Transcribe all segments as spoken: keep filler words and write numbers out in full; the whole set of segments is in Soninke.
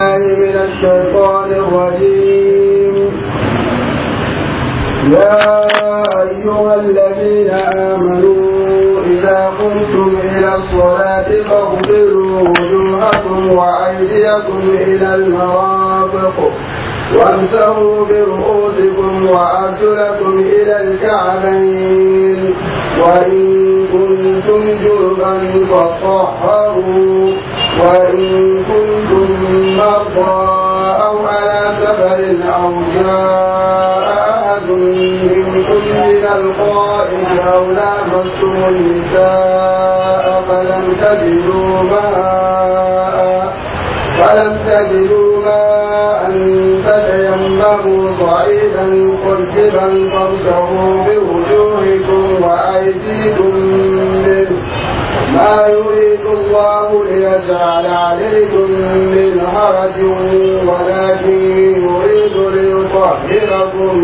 بالله من الشيطان الرجيم. يا أيها الذين آمنوا إذا قمتم إلى الصلاة فاغسلوا وجوهكم وأيديكم إلى المرافق وامسحوا برؤوسكم وأرجلكم إلى الكعبين، وإن كنتم جنبا فاطهروا، وإن كنتم مرضى أو على سفر أو جاء أحد منكم من الغائط أو لامستم النساء فلم تجدوا ماء فلم تجدوا ماء فتيمموا صعيدا طيبا فامسحوا بوجوهكم وأيديكم منه، ما يريد الله ليجعل عليكم من حرج، ولكن يريد ليطهركم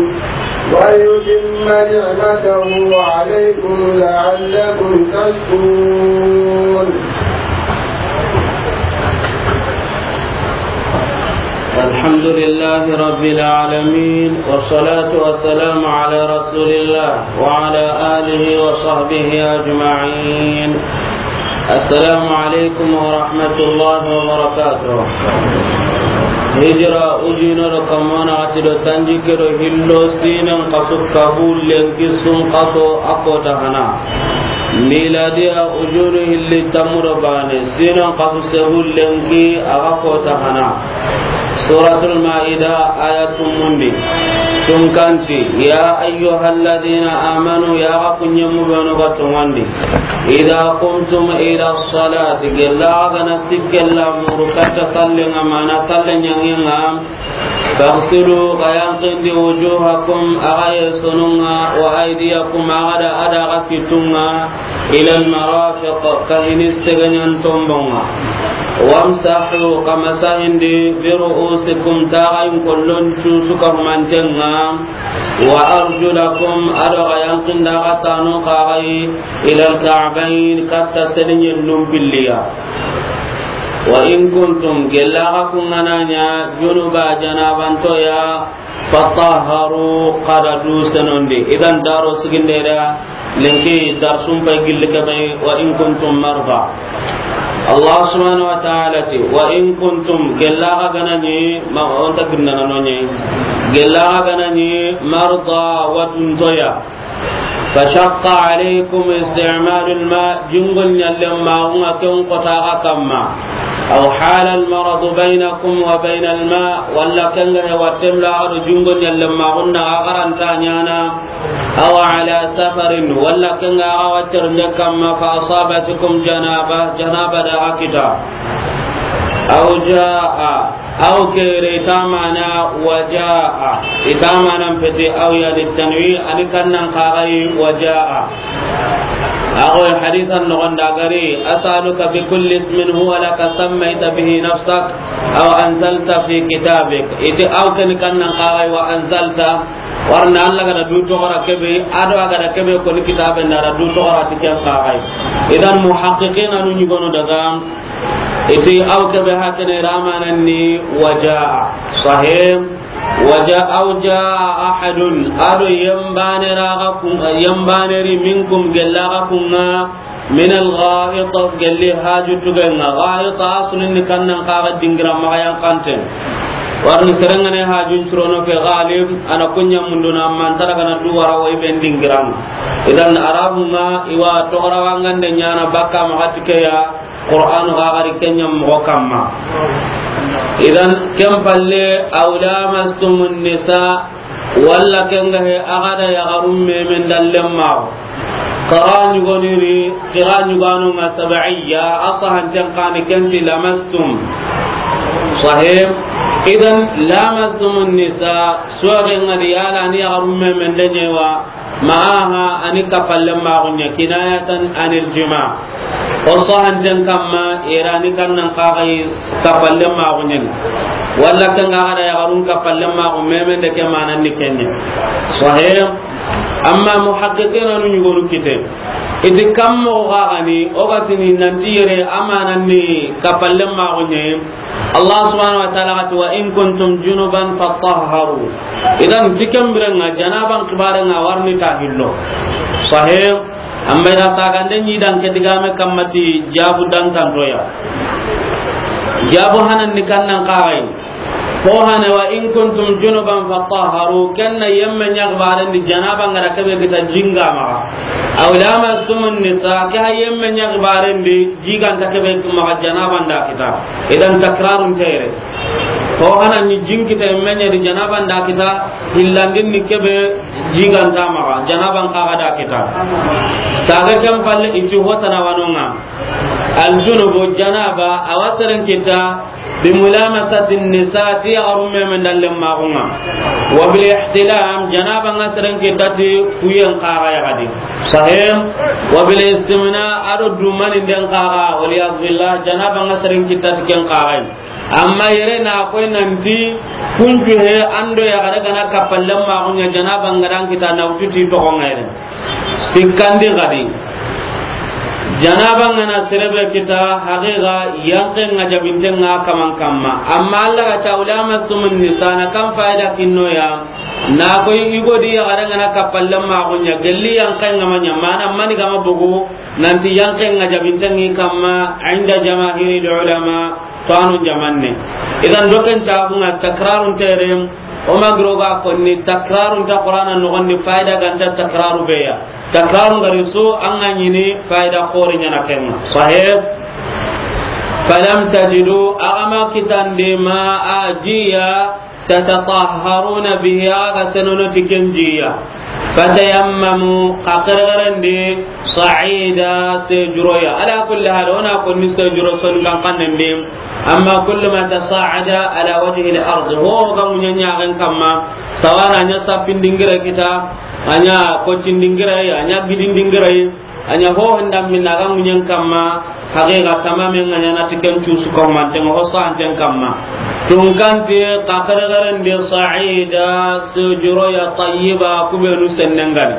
ويتم نعمته عليكم لعلكم تشكرون. الحمد لله رب العالمين، والصلاة والسلام على رسول الله وعلى آله وصحبه أجمعين. السلام عليكم ورحمة الله وبركاته. Hijira ujunero kamana ati do tanjikke do hillo sinen kasu kabu lenki sun kaso a kota hana. Miladiya ujunu hilli tamuro bane sinen kasu sebu lenki a ga kota hana. Suratul Maida, aya tumundi. Tunkanti, ya ayyuhalladhina amanu, ya ga kunyemu benu ga tungandi. Idha qumtum ila salati, gella gana sikkella muru katta sallenga, mana sallen yangenga. Faghsilu, ga yanqindi, wujuhakum, a ga yesununga, wa aydiyakum, a ga da, a da ga kitunga, ila almarafiq, kahini seganyan tombonga. Wamsahu, ka masahindi, bi ru'usikum, taxayin kollon cusu ka humantenga, wa arjulakum, a do ga yanqinda ga tanu kaxayi, ila alka'bayn, katta selinyen numpilliya. Wa in kuntum, gella ga kungananya, junuba, janabantoya, fatahharu, kada du senondi. Idan daro sigindeda, lenki darsun pay gilli kebe, wa in kuntum marda. Allah subhanahu wa ta'ala ti, wa in kuntum, gella ga ganani, ma, onta ginnana nonye. Gella ga ganani, marda, wa tuntoya. Fashaqqa alaykum isti'malul ma, jungol nyallen magunga ken kota ga kamma. Aw hala al maradu baynakum wa baynal ma, walla kenga he wattemla ado jungol nyallen magunna a garanta nyana. Aw ala safarin, walla kenga a ga watterunde kamma, fa asabatukum janaba, janaba da ga kita. Aw jaa, aw kere itamana wa jaa, itamana mpeti aw ya litanwi, ani kannan kagai wa jaa. Ago hadisan nogonda gari, as'aluka bi kulli ismin huwa laka sammayta bihi nafsak, aw anzalta fi kitabik. Iti aw ken kannan kagai wa anzalta, warna Allah gada du togora kebe, ado agada kebe ko ni kitabe ndara du togora ti ken kagai. Idan muhaqqiqina nu nyugono daga, iti aw kebe hakene ramanan ni wa jaa. Sahih. Wa jaa, aw jaa ahadun, ado yembane raga kun, yembane ri minkum gella ga kunga, min al-gha'it, gelli haju tugenga. Gha'it asulin ni kannan kaga dingira maga yankanten. Warni serengane hajun curono ke ghalib, ana kunya munduna mantara kana duwara wa iben dingiranga. Idan arabunga iwa togora wangande nyana bakka maga tikeya, Qur'anu ga gari kenya mogo kamma. Idan ken palle, aw lamastumun nisa, walla kenga he agada yagarum memen dallen mago. Qira nyugoniri, qira nyuganunga sab'iyya, asahanten kani kenti lamastum. Sahih. Idan lamastumun nisa, suwagenga di yala ni yagarum memen danyewa, Maaha ani kapallen maxuɲa, kinayatan anil jima. O sahanten kamma, irani kannan kaxayi kapallen maxuɲen. Walla ken ga xada yaxarun kapallen maxu, memen de ke manan ni kenɲe. Sahih. Amma muhaqqiqina nu ɲugonu kite. Iti kam moxo xaxani, o ga tini nanti yere a manan ni kapallen maxuɲe. Allah subhanahu wa ta'ala ga ti, "Wa in kuntum junuban fatahharu." Idan, ti ken biren ŋa, janaban xibaaren ŋa wa ri ni ta hillo. Sahih. Amma i da sagande ɲi dan ke digame kamma ti jabu dantanto ya. Jabu hanan ni kannan xaxay. Ko hane, "Wa in kuntum junuban fatahharu," ken na yemme ɲa xibaaren di janaba ŋa ra kebe kita jinga maxa. "Aw lamastumun nisa," ke ha yemme ɲa xibaaren di jigan ta kebe maxa janaba nda kita. Idan takrarun tere. Ko hana ni jin kita yemme ɲa di janaba nda kita, hillandin ni kebe jigan ta maxa, janaban xaxa da kita. Saga ken palle iti hotana wanonga. Al junubu janaba, a wa seren kita, bi mulamasati nisa, ti yaxaru meme nda lemmaxunga. Wa bil ihtilam, janaba ŋa seren kita ti kuyen xaxa yaxadi. Sahih. Wa bil istimna, a do dumani nden xaxa, wal iyaz billah, janaba ŋa seren kita ti ken xaxa. Amma yere na koy nanti kuncu he an do yaxare ga na kappalle maxuɲa janaba ŋa dan kita na wutu ti toxo ŋa yere. Sikkandi xadi. Janaba ŋa na sere be kita, haqiqa yanqe ŋa jabinte ŋa kaman kamma. Amma Allah ga ta, "Aw lamastumun nisa," na kan fayda kinno ya. Na koy i go di yaxare ga na kappalle maxuɲa, gelli yanqe ŋa ma ɲa, mana mani ga ma bogu, nanti yanqe ŋa jabinte ŋi kamma, inda jamahiril ulama. To anu jamanne. Idan doken tabu ŋa takrarun tere, o ma giro ga konni takrarun ta Qur'ana noxon di fayda ganta takraru be ya. Takrarun gari su an ga ɲini fayda xori ɲana ken ŋa. Sahih. Falam tajidu, a ga ma kitandi, ma a jiya, tatatahharuna bihi, a ga senono ti ken jiya. Fatayammamu, xa xerexerendi, sa'ida, sejuroya. Ala kulli hal, o na konni sejuro son kan kannen di. Amma kullu ma tasa'ada ala wajhi al-ard, ho ga muɲa ɲaxen kamma, sawana ɲa sapindingira kita, a ɲa kocindingira, a ɲa gidindingira. A ɲa ho handa minna ga muɲen kamma, haqiqa tamamen ŋa ɲana ti ken cusu kamma, ten ho santen kamma. Tunkanti xa xerexerendi sa'ida, sujuro ya tayyiba, kubenu sennen gani.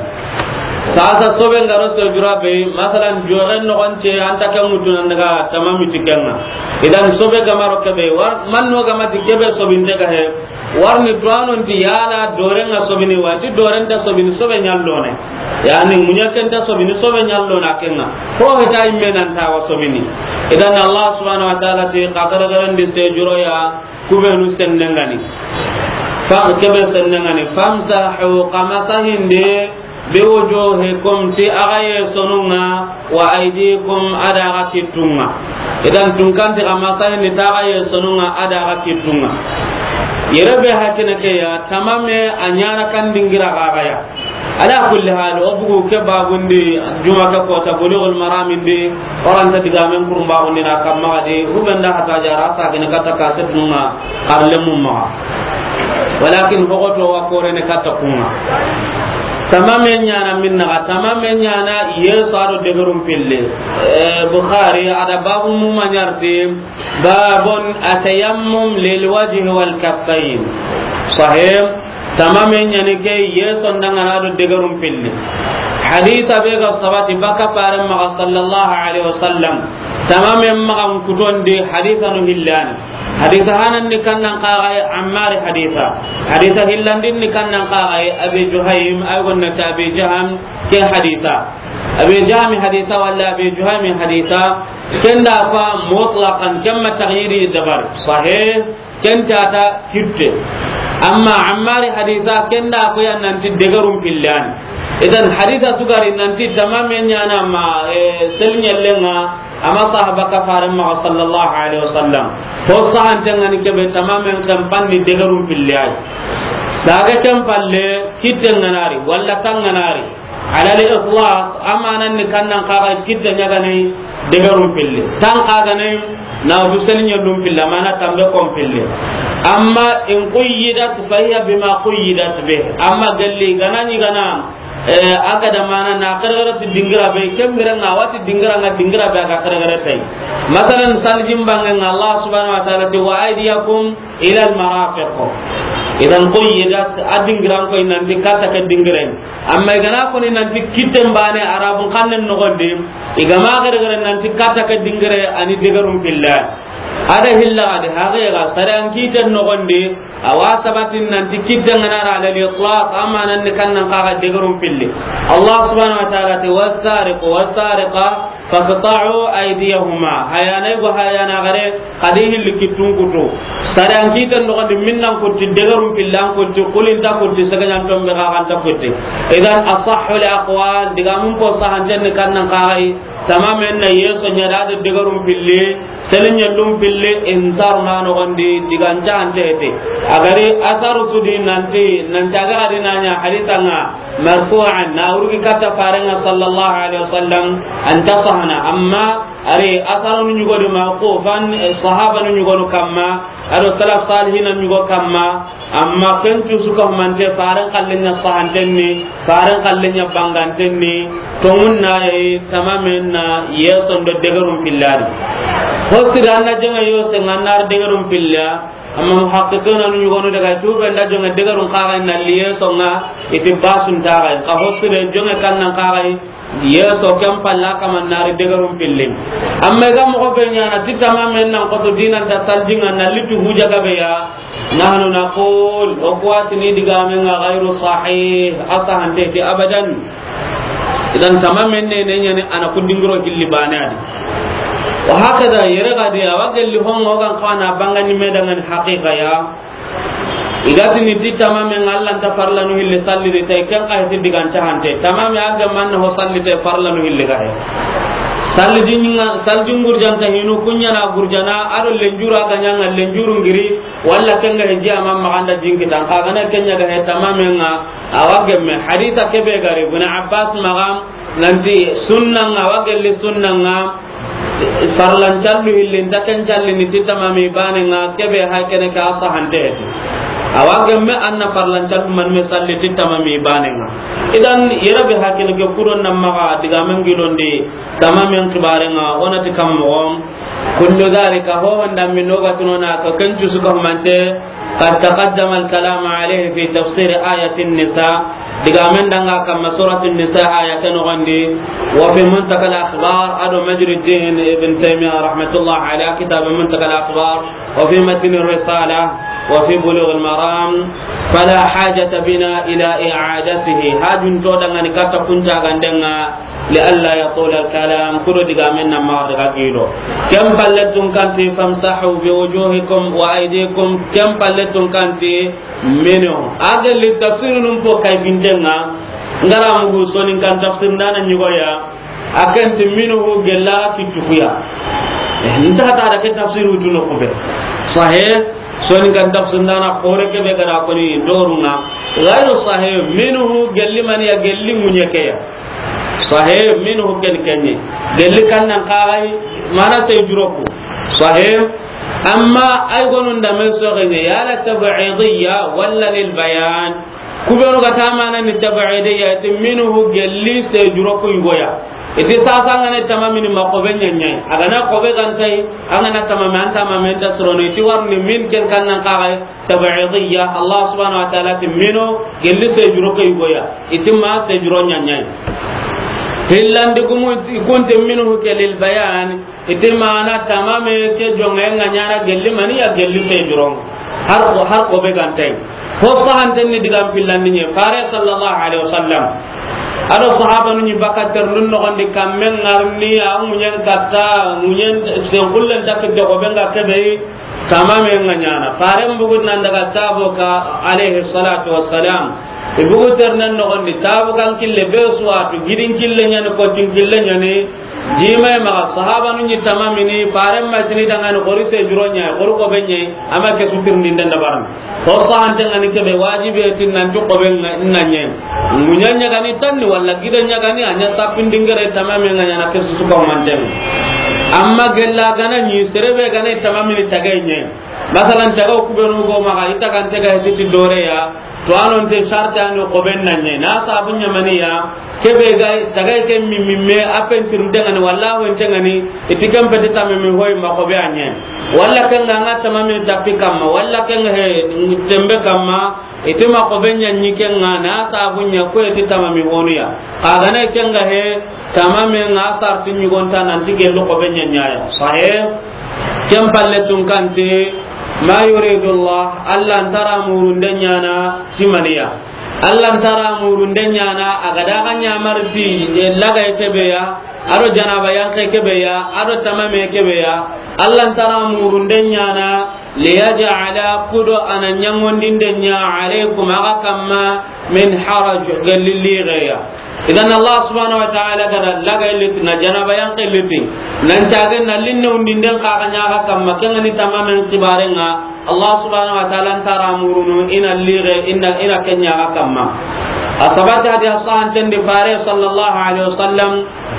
Sasa sobe ngaro sujura be, masalan, joren noxon te, anta ken ŋutu nan daga tamami ti ken ŋa. Idan sobe ga ma ro kebe, wa, manno ga ma ti kebe sobinte ga he. Warni tuwanon ti yala doren ŋa sobini wa, ti doren ta sobini sobe ɲallone. Yani muɲaken ta sobini sobe ɲallona ken ŋa. Ko heta imme nan ta wa sobini. Idan Allah subhanahu wa ta'ala ti, xa xerexerendi sejuro ya, kubenu sennen gani. Fa kebe sennen gani. Famsahu, xa masahindi, bi wujuhikum, ti axa yesonun ŋa, wa aydikum, a da axa kittun ŋa. Idan tunkanti xa masahindi ti axa yesonun ŋa, a da axa kittun ŋa. Yere be hakina ke ya, tamame a ɲana kan dingira xaxa ya. Ala kulli hal, o bugu ke babundi, juma ke kota Bulughul Maram ndi, o ra nta digamen kurun babundi na kamma gadi, hubenda hata jara sa gini kata kaset nunga. Xarlemmu maxa. Walakin hogoto wa korene katta kunga. Tamame ɲana minna ga, tamame ɲana yeso a do degerum pille. Eh, Bukhari, a da babu mu maɲarti, babun atayammum lil wajhi wal kaffayn. Sahih. Tamame ɲani ke yeso ndanga na do degerum pille. Hadisa be ga sabati baka fare maxa sallallahu alaihi wasallam. Tamame maxa kutondi hadisa no hillani. Hadisa hanan ni kannan kaxaye Ammari hadisa. Hadisa hillandin ni kannan kaxaye Abi Juhaym, ay gonna ta Abi Jaham ke hadisa. Abi Jaham hadisa wala Abi Juhaym hadisa. Kenda fa mutlaqan kamma taghyiri dabar. Sahih. Kenta ta kitte. Amma Ammari hadisa kenda ko ya nanti degarum pillani. Idan hadisa sugari nanti tamame ɲana ma, eh, selɲellenga. Ama sahaba ka fare maxa sallallahu alaihi wasallam. Ho sahante ngani kebe tamamen kan panni degarum pille ay. Daga ken palle kitte nganari, walla tan nganari. Ala al itlaq, amanan ni kannan kaga kitte ɲagane degarum pille. Tan kaga ne na du selɲellum pille, mana tambe kon pille. Amma in quyyidat fa hiya bima quyyidat bih. Amma galli ganani gana Eh, a ga da mana na xerexere ti dingira be, kembere nga wati dingira nga dingira be a ga xerexere tay. Masalan, saljin bange nga Allah subhanahu wa ta'ala ti, "Wa aydiyakum ila al marafiq." Idan quyyidat, a dingiran koy nanti kata ke dingire. Amma igana koni nanti kitten bane Arabun xannen nogondi, igama xerexere nanti kata ke dingire ani degarum pille. A da hilla ga di, haqiqa, sariyan kiten noxon di, a wa sabatin nanti kitten ga na ra ala al-itlaq, a ma nan ni kannan kaga degerun pilli. Allah subhanahu wa ta'ala ti, "Wassariqu wassariqa faqta'u aydiyahuma." Hayana go hayana gare, xa di hilli kittun kutu. Sariyan kiten noxon di, minnan kutti degerun pilli, an kutti, kulinta kutti, sagajan tombe ga ganta kutti. Idan, asahhul aqwal, digamun po sahanten ni kannan kaga yi, tamamen na yeso ɲa da degerun pilli, selen ɲa lum pilli, intar na noxon di, diganta ante hete. A gari asaru su di nanti, nanti a ga di na ɲa hadisa nga marfu'an, na wurgi katta farenga sallallahu alaihi wasallam, anta sahana. Amma ari asaranu ɲugo di mawqufan, eh, sahabanu ɲugo no kamma, ado salaf salihina ɲugo kamma, amma ken cu su ka humante, faren kallen ɲa sahanten ni, faren kallen ɲa banganten ni, tongun na yi tamamen na yeson do degerun pillari. Hosira na jenga yo se nganar degerun pilla, amma muhaqqiqina nu ɲugo no daga tube nda jonga degerun kaga na liye songa iti basun taga, ka hosira jonga kannan kaga yeso ken palla kaman nari degerun pillin. Amma ga moxo be ɲana ti tamamen nan koto dinan ta saljinga na litu huja gabe ya, nahnu naqul, o kuwatini digamenga ghayru sahih, a sahante ti abadan. Idan tamamen ne ne ɲani ana kudingiro hilli bane adi. Wa hakada yere gadi awa gelli hongo gan kana bangani medangani haqiqa ya. Igatini ti tamamen Allah nta farlanu hilli salli di tay, ken kay ti diganta hante. Tamame a ga manna ho salli tay farlanu hilli ga he. Salli dinga, salli dingurjanta hinu kunya na gurjana, ado lenjuru a ga ɲanga lenjuru ngiri, walla kenga he jiya ma maganda jinkitan, ka gana kenya ga he tamamen nga, awa gemme. Hadisa kebe gari, Ibn Abbas magam, nanti sunna nga, awa gelli sunna nga, farlan callu hilli, nta ken calli ni ti tamami bane nga, kebe hay kene ka sahante heti. Awa gemme anna farlan callu man me salli ti tamami bane nga. Idan yere be hakene ke kudon na maga digamen gilondi, tamamen kibare nga, onati kam mo. Kullu dhalika, ho honda min noga tunona ka ken cu su ka humante, قد تقدم الكلام عليه في تفسير آية النساء. Digamen danga kamma سورة النساء آية ke nogondi. وفي منتقى الأخبار, ado مجري الدين ابن تيمية رحمة الله عليه, كتاب منتقى الأخبار, وفي متن الرسالة, وفي بلوغ المرام, فلا حاجة بنا إلى إعادته. Hajun to dangani katta kunta gandenga, لئلا يطول الكلام, kudo digamen na ma daga gilo. Ken palle tun kanti, فامسحوا بوجوهكم وأيديكم, ken palle tun kanti, منه. A gelli tafsirunun po kay bindenga, ngara mugu soninkan tafsir ndana ɲigoya, a kenti منه gella kittukuya. Eh, nta ta da ke tafsiru tuno kube. Sahih, soninkan tafsir ndana kore kebe gara koni dorunga. Ghayru sahih, منه gelli maniya, gelli munyekeya. Sahih, منه ken kenye. Gelli kannan kagai, mana sey juroku. Sahih. Amma ay gonun da men so ganye, yala tab'idiyya wala lil bayan. Kubenu ga tamana ni tab'idiyya, ti منه gelli sey juroku yugoya. Iti sasa ngane tamamini ma kobe nyanyai. Agana kobe gantai, angana tamame anta mamen ta surono, iti warni من ken kannan kagai. Tab'idiyya, Allah subhanahu wa ta'ala ti منه, gelli sey juro ke yugoya, iti ma sey juro nyanyai. Hillandi gumu kunti منه ke للبيان, iti mana tamame ke jonga nga nyana gelli maniya, gelli sey juro. Har ko, har ko be gantai. Ho sahanten ni digan pillandi nye, Fare sallallahu alaihi wasallam. Ado sahabanu ni bakater nun no gandi kammen ngarni, a munyen katta, munyen sen kullen takde ko benga kebe. Tamame nga nyana. Faren bugu nan daga Tabuka, alayhi salatu wassalam. I bugu ternen nogondi, Tabukan kille be suwatu, gidin kille nyani, kotin kille nyani. Jimay maga, sahabanu ni tamamini, faren ma tini dangani, xori se juro nya, xori ko be nya, ama ke sutir ni ndenda baran. Ho sahante ngani kebe wajibi tin nan ju ko be nga, na nya. Munya nya gani tanni, wala gida nya gani, anya tapin dingere tamame nga nyana ke su ko manten. Amma gella gana ni, serebe gana tamamini tagay nya. Masalan, taga kubenu go maga, ita kan taga hiti dore ya, to anon te sarta no ko ben nanye. Na sabu nyamani ya, kebe ga taga ke mi mi me apen tirunde ngani, wallahu ente ngani, iti kan pete tamami hoy ma ko be anye. Walla kan nga tamami tapi kamma, walla kan he tembe kamma, iti ma ko be nyanyi ken nga na sabu nya ko iti tamami honu ya. Kaga ne ken nga he, tamami nga sarti nyugonta nan tige lo ko be nyanya ya. Sahih. Ken palle tun kante, ma yuridu Allah, Allah nta ra murunden ɲaana ti maniya. Allah nta ra murunden ɲaana, a ga da ga ɲamari ti, e, lagay ke be ya, a do janaba yanqe ke be ya, a do tamame ke be ya. Allah nta ra murunden ɲaana, liyaj'ala, kudo a na ɲaŋondinden ɲa, alaykum, a ga kamma, min haraj, gelli ligeya. Idan Allah subhanahu wa ta'ala ga da lagay liti, na janaba yanqe liti, nan caage na linne undinden xa ga ɲa a ga kamma, ken ga ni tamamen xibaren ŋa. Allah subhanahu wa ta'ala nta ra murunu i na lige, i na, i na ken ɲa a ga kamma. A sabati hadiya sahanten di, Fare sallallahu alaihi wasallam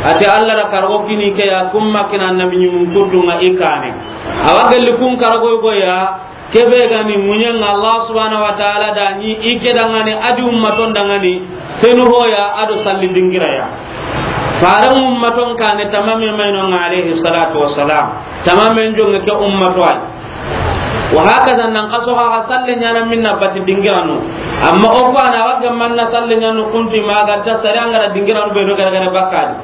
a ti, Allah da karago kini ke ya, kun ma kini annabi ɲumun kuttu ŋa i kaane. A wa gelli kun karago go ya, ke be ga ni ŋuɲen ŋa Allah subhanahu wa ta'ala da ɲi i ke danŋa ni, a di ummaton danŋa ni, senu hoya a do salli dingira ya. Faren ummaton kaane tamame ma i no ŋa, alayhi salatu wassalam. Tamamen jonŋe ke ummato ay. Wa hakaza, nan xaso xa, xa salle ɲaana minna bati dingiranu. Amma o ko a na wa ga manna salle ɲaanu kuntu ma ga ta sare an ga ra dingiranu be no gare gare bakka di.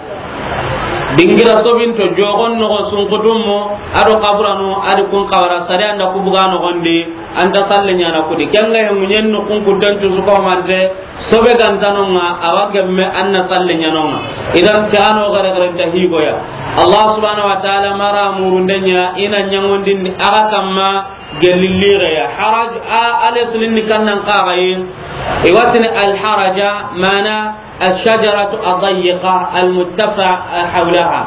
Dingira sobinto, jogon noxo, sunkutunmo, a do kaburanu, a di kun xawara, sare an da ku buga noxon di, an ta salle ɲaana ku di. Ken ŋa he ŋuɲen no kun kutancu su ko mante, sobe ga nta no ŋa, a wa gemme an na salle ɲaana no ŋa. Idan ke a no gare gare nta higo ya. Allah subhanahu wa ta'ala ma ra murunden ɲa i na ɲaŋondindi a ga kamma gelli ligeya. Haraj, a, ale sulin ni kannan kaxayi. I wa tini al haraja, mana الشجرة الضيقة المتفع حولها.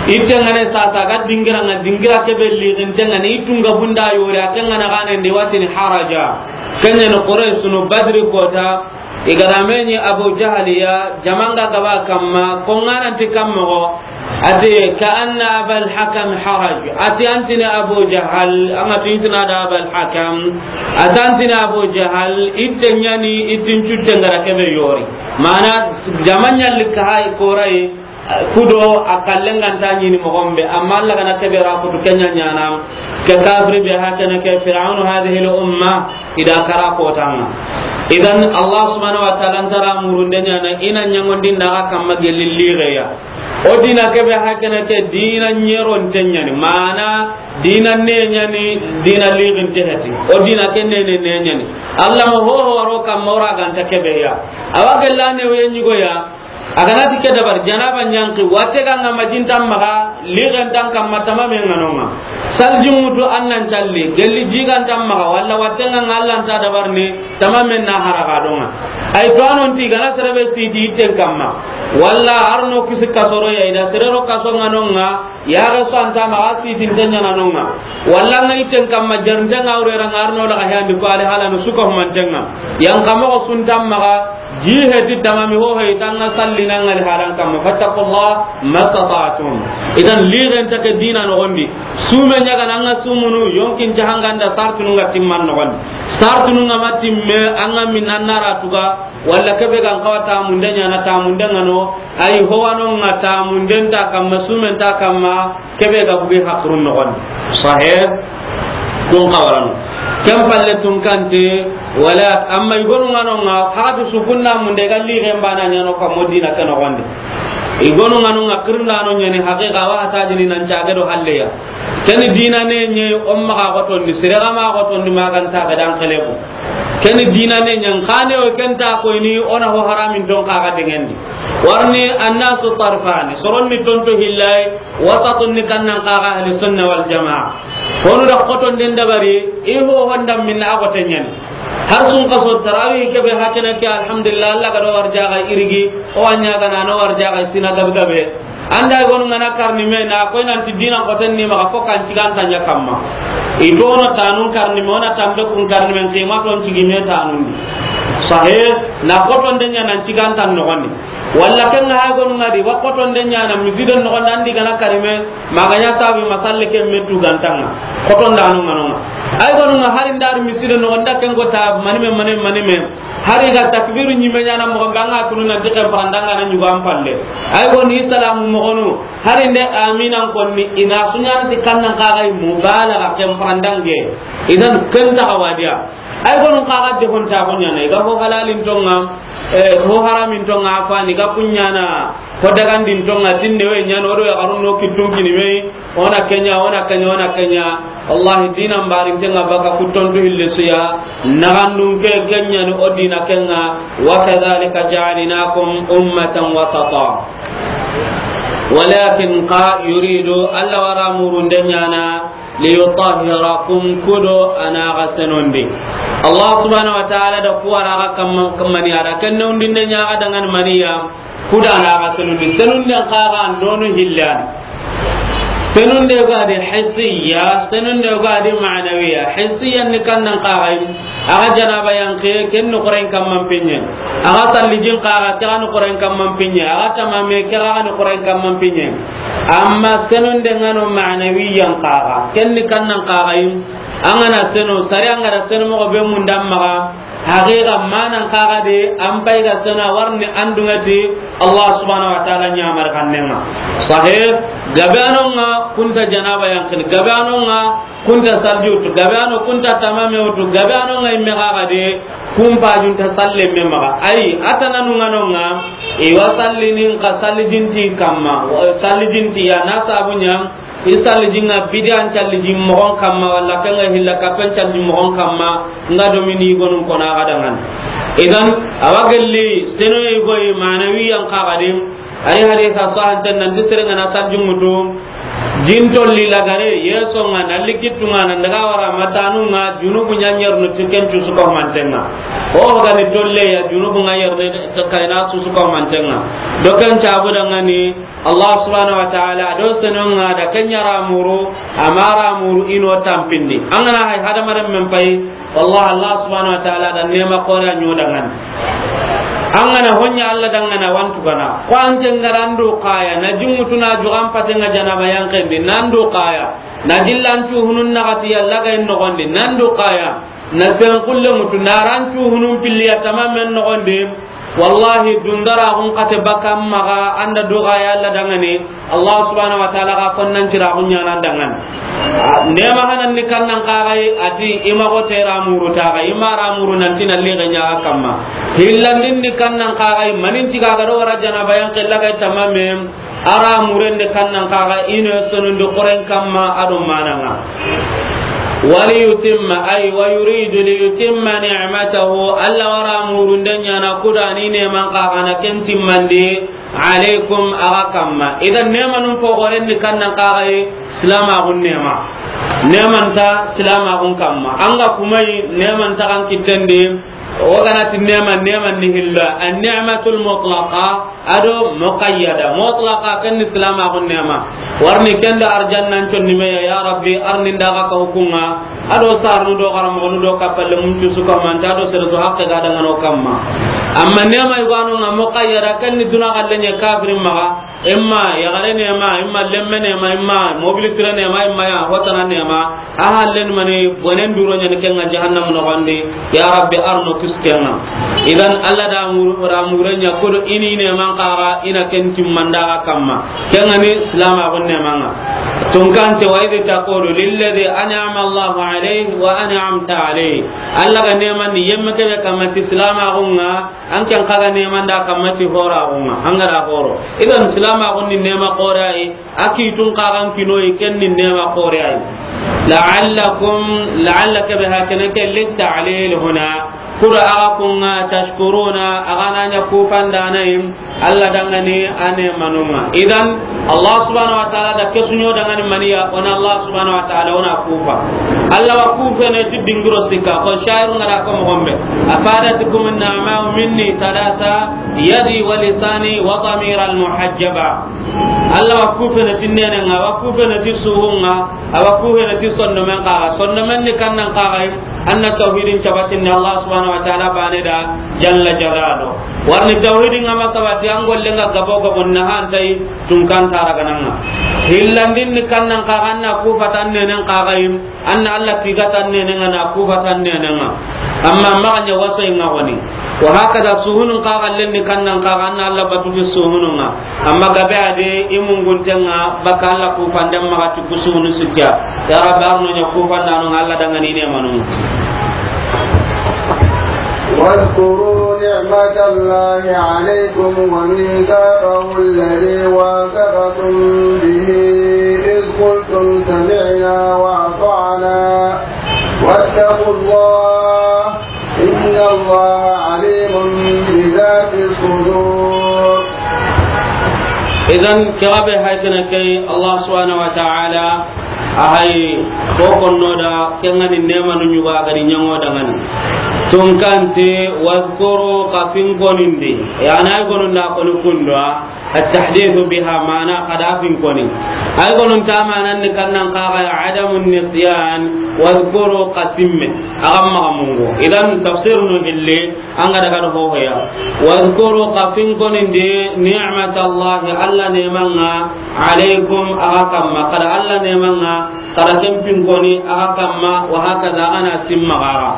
Itte ŋa ne sasa ga dingira ŋa, dingira ke be liginten ŋa ni, i tunga bunda yori, a ken ŋa na gane ndi wa tini haraja. Ken ɲa ni Quraysh sunu Badri kota, i ga ra me ɲi Abu Jahal ya, jaman ga gaba kamma, ko ŋa nan ti kamma go, a ti, كأن أبا الحكم حرج. A ti an tini Abu Jahal, an ga ti i tini a da Abal Hakam. A ti an tini Abu Jahal, itte ɲa ni, ittin cutte ŋa ra ke be yori. Mana, jama ɲalli ka hay koray, kudo a kallen ga nta ɲi ni moxo be, amma Allah ga na ke be ra kutu ken ɲa ɲaana, ke kafiri be ha ke na ke Fir'aunu hadhihi al umma, i da kara kota ŋa. Idan, Allah subhanahu wa ta'ala nta ra murunden ɲaana, i na ɲaŋondinda a ga kamma gelli ligeya. O dina ke be ha ke na ke dina ɲeronten ɲa ni, mana dina ne ɲa ni, dina liginte heti. O dina ke ne ne ne ɲa ni. Allah ma ho ho waro kamma o ra ga nta ke be ya. A wa gella ne we ɲigo ya. A ga na ti ke dabar, janaba ɲanki, watte ga ŋa ma jintan maxa, ligentan kamma tamamen ŋa no ŋa. Salji mutu an nan calli, gelli jigantan maxa, walla watte ŋa ŋa Allah nta dabar ni, tamamen na haraga do ŋa. Ay to a non ti ga na sere be siti itten kamma. Walla arno kisi kasoro ya, i da sere ro kaso ŋa no ŋa, yaxe so an ta maxa, sitinten ɲaana no ŋa. Walla ŋa itten kamma, jarnten ŋa wure ra ŋa arno daga handi ko ali halanu suka humanten ŋa. Yan kamo ko suntan maxa, ji heti tamami ho he, i ta ŋa sallina ŋa ali halan kamma. Fattaqullah mastata'tum. Idan, ligen ta ke dina noxon di. Sume ɲa ga na ŋa sumunu, yonkin ta hanganda sartunu ŋa timman noxon di. Sartunu ŋa ma timme, an ŋa min an na ra tuga, walla ke be ga n xawa tamunden ɲaana, tamunden ŋa no, ay ho wa no ŋa tamunden ta kamma, sumen ta kamma, ke be ga bugi hakrun noxon di. Sahih, kun xawaranu. Ken palle tun kante, wala, amma i gonu ŋa no ŋa, haqatu su kunna munde ga ligen bana ɲa no kammo dina ke noxon di. I gonu ŋa no ŋa kirnda no ɲa ni haqiqa wa hata jini nan caage do halle ya. Ken dina ne ɲe o maxa xotondi, sere ga ma xotondi ma ga nta ga dan xelebu. Ken dina ne ɲan xane o ken ta ko ni o na ho haramin ton xa ga dengendi. Warni annasu tarfani, soronni tonto hillay, wasatun ni kannan xa ga ahli sunna wal jamaa. Honu da xotonden dabari, i ho honda minna a xoten ɲa ni. Har sun kaso tarawih ke be ha ke na ke, alhamdulillah, Allah ga do warjaga irigi, o wa ɲa ga na no warjaga sina gabe gabe. Anda i gonu ŋa na karni me na koy nan ti dina xoten ni maxa fo kan cigantan ɲa kamma. I to no tanun karni me, o na tambe kun karni me, qimaton cigi me tanun di. Sahih, na xotonden ɲa nan cigantan noxon di. Walla ken ŋa ha gonu ŋa di, wa xotonden ɲa na misiden noxon di, an di ga na kari me, ma ga ɲa sabi masalle ke me tugantan ŋa. Xotonda no ŋa no ŋa. Ay gonu ŋa hari ndar misiden noxon da ken ko ta mani me, mani, mani me. Hari ga takbiru ɲime ɲa na moxo be, an ŋa tunu nan ti ken paranda ŋa na ɲugo an palle. Ay gonu i salamu moxonu, hari nde aminan konni, i na su ɲa ni ti kannan xa ga i mubalaga ken parandange. Idan ken ta ga wadiya. Ay gonu xa ga de hon ta ko ɲa na, i ga ho halalin ton ŋa, eh, ho haramin ton ŋa, afani ga kun ɲa na, ho dagandin ton ŋa, tinde we ɲa no do ya garun no kitun kini me. O na ke ɲa, o na ke ɲa, o na ke ɲa. Wallahi, diinan barinten ŋa baka ku tontu hilli su ya. Naxandun ke, ke ɲa ni o diina ke ŋa. Wa kadhalika ja'alnakum ummatan wasata. Walakin xa yuridu, Alla wa ra murunden ɲaana, liyutahhirakum, ku do a na xa senondi. Allah subhanahu wa ta'ala da ku wa ra xa kamma, kamma ni a da ken newundinde ɲa xa danŋa ni maniya. Ku da a na xa senundi. Senunden xa ga an do no hillan. Senunde ga di hissiya, senunde ga di ma'nawiya. Hissiya ni kannan xa ga yi. A ga janaba yanqe, ken ni Qur'an kamman pinye. A ga sallijin xa ga, ke ga ni Qur'an kamman pinye. A ga tamame, ke ga ni Qur'an kamman pinye. Amma senunde ŋa no ma'nawiyan xa ga. Ken ni kannan xa ga yi. An ga na seno, sari an ga da seno moxo be mun da maxa. Haqiqa manan xa ga de, an pay ga seno a wa ri an dunŋa ti Allah subhanahu wa ta'ala ɲamari xannen ŋa. Sahih, gabe a no ŋa ku nta janaba yanqini, gabe a no ŋa ku nta salji wutu, gabe a no ku nta tamame wutu, gabe a no ŋa i me xa ga de, ku n pajun ta salle me maxa. Ayi, a ta na nu ŋa no ŋa, i wa sallini xa sallijin ti kamma, sallijin ti ya na sabu ɲa, i sallijin ŋa bidiyan callijin moxon kamma, walla ken ŋa hilla kappen callijin moxon kamma, ŋa do mini gonun kona ga danŋa ni. Idan, a wa gelli, seno yi goyi, ma'nawiyan xa ga de, a ri hadisa sahanten nan ti sere ŋa na sallijin mutu, jin tolli lagare, yeso ŋa, na likitu ŋa, na daga wara matanu ŋa, junubu ɲa ɲerno ti ken cu su ko manten ŋa. O ga ni tolle ya, junubu ŋa yerne, kayna su su ko manten ŋa. Do ken cabu danŋa ni, Allah subhanahu wa ta'ala, a do senon ŋa da ken ɲa ra muru, a ma ra muru i no tampindi. An ga na hay hadamaren men pay, wallahi Allah subhanahu wa ta'ala da nema xore a ɲo danŋa ni. An ga na ho ɲa Allah danŋa na wantu gana. Ko an ke ŋa ra an do xa ya, na jin mutu na juxan pate ŋa janaba yanqendi, nan do xa ya. Na jillan cu hunun na ga ti yalla ga in noxondi, nan do xa ya. Na sen xulle mutu, na ran cu hunun pilliya tamamen noxondi. Wallahi, dundara xun xate baka maxa, an da duxa ya Allah danŋa ni, Allah subhanahu wa ta'ala ga konnan cira xun ɲana danŋa ni. Nema hanan ni kannan xa ga yi, a ti i ma go tera muru ta ga, i ma ra muru nan ti na lixe ɲa ga kamma. Hillandin ni kannan xa ga yi, manin ti ga ga do wara janaba yanqe la ga tamame. A ra muren de kannan xa ga i no senundi Qur'an kamma a do manan ŋa. Waliyutimma, ay, wa yuridu liyutimma ni'matahu, Allah wa ra murunden ɲana ku da ni neman xa ga na ken timmandi, alaykum, a ga kamma. Idan nemanun fo goren ni kannan xa ga yi, silamaxun nema. Neman ta silamaxun kamma. An ga kuma yi, neman ta kan kitten di, O ga na ti nema, nema ni hillo, an ni'matul mutlaqa, a do muqayyada. Mutlaqa ken ni silamaxun nema. Wa ri ken da arjannan conni me ya, ya Rabbi, a ri n da ga ka hukunŋa. A do sarnu do xaramoxonu do kappalle mun cu su kamanta, a do sere su haqqe ga danŋa no kamma. Amma nema i ga no ŋa muqayyada, ken ni duna xalle ɲa kafirin maxa. Imma yaxare nema, imma lemme nema, imma mobili sire nema, imma ya hotana nema. A hallen mani bonen duro ɲani ken ŋa jahannam noxondi. Ya Rabbi, a ri no kisi ken ŋa. Idan Allah da muru, ra muren ɲa ku do i ni neman xa ga i na ken timmanda ga kamma. Ken ŋa ni silamaxun neman ŋa. Tunkante, wa idh taqulu lilladhi an'ama Allahu alayhi wa an'amta alayhi. Allah ga neman ni yemme kebe kamma ti silamaxun ŋa. An ken xa ga neman da kamma ti horaxun ŋa, an ga da horo. Idan silamaxun ni nema xore yi, a kitun xa ga n kinoyi, ken ni nema xore yi. La'allakum, la'alla kebe hakene ke litta'lil huna. Ku do a ga kun ŋa tashkuruna, a ga na ɲa kufandanayi Allah danŋa ni a nemanun ŋa. Idan, Allah subhanahu wa ta'ala da ke su ɲo danŋa ni maniya, o na Allah subhanahu wa ta'ala, o na kufa. Allah wa kufene ti dingiro sikka, ko sha'irun ŋa da ko moxo be. Afadatkum an-ni'ma'u minni thalatha, yadi wa lisani wa damira al-muhajjaba. Allah wa kufene ti nenen ŋa, wa kufene ti suhun ŋa, a wa kufene ti sondomen xa ga. Sondomen ni kannan xa ga yi, An na tawhidin cabatindi Allah subhanahu wa ta'ala bane da jalla jalalu. Wa ri tawhidin ŋa ma sabati, an golle ŋa gabo gabo na hantai tunkan tara gananga. Hillandin ni kannan xa ga an na kufatan nenen xa ga yi, an na Allah tigatan nenen ŋa na kufatan nenen ŋa. Amma ma ga ɲa waso ŋa woni. Wa hakada suhunun xa ga len ni kannan xa ga an na Allah batu fi suhunun ŋa. Amma gabe a de i mungunten ŋa baka Allah kufanden maxa ti ku suhunu sikka. Ya Rabbi, a ri no ɲa kufandanu ŋa Allah danŋa ni nemanun ŋa. واذكروا نعمة الله عليكم وميثاقه الذي واثقكم به إذ قلتم وأطعنا واتقوا الله إن الله عليم بذات الصدور. Idan, ke ga be hay ke na ke, Allah subhanahu wa ta'ala a hay ko konno da, ke ŋa ni neema nu ɲuga ga di ɲaŋo da ŋa ni. Tunkante, wadhkuru, ka fin konindi. Ya na ay gonun da koni kundo a, at-tahdithu biha, mana ka da fin koni. Ay gonun ta manan ni kannan ka ga adamun nisyan, wadhkuru, ka simme. A ga ma mungu. Idan tafsir nu hilli, an ga daga do hohoya. Wadhkuru, ka fin konindi ni'matallahi, Alla neema ŋa, alaykum, a ga kamma. Ka da Alla neema ŋa, ka da ken fin koni a ga kamma, wa hakaza, a ga na simma ga ra.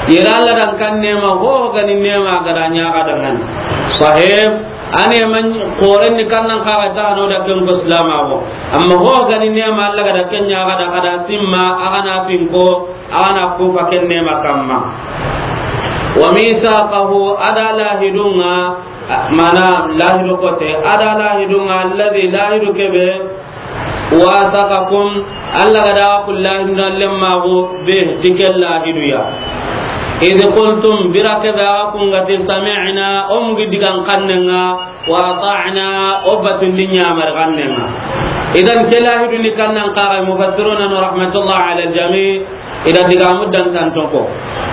Yere Alla dan kan neema, ho ga ni neema ga da ɲa ga da ŋa ni. Sahib, a neema xoren ni kannan ka ga ta no da ken ko silama go. Amma ho ga ni neema Alla ga da ken ɲa ga da, ka da simma, a ga na fin ko, a ga na ku fa ken neema kamma. Wa mithaqahu, a da lahidu ŋa, mana lahidu kote, a da lahidu ŋa, alladhi, lahidu ke be, wathaqakum, Alla ga da ku lahidu na lemma go be, ti ke lahidu ya. Idh qultum, bire ke be ga ku ŋa ti sami'na, o mu gi digan kanne ŋa, wa ata'na, o batundi ɲamari kanne ŋa. Idan ke lahidu ni kannan ka ga, mufassiruna rahmatullah ala al-jami', i da digamu dantanto ko.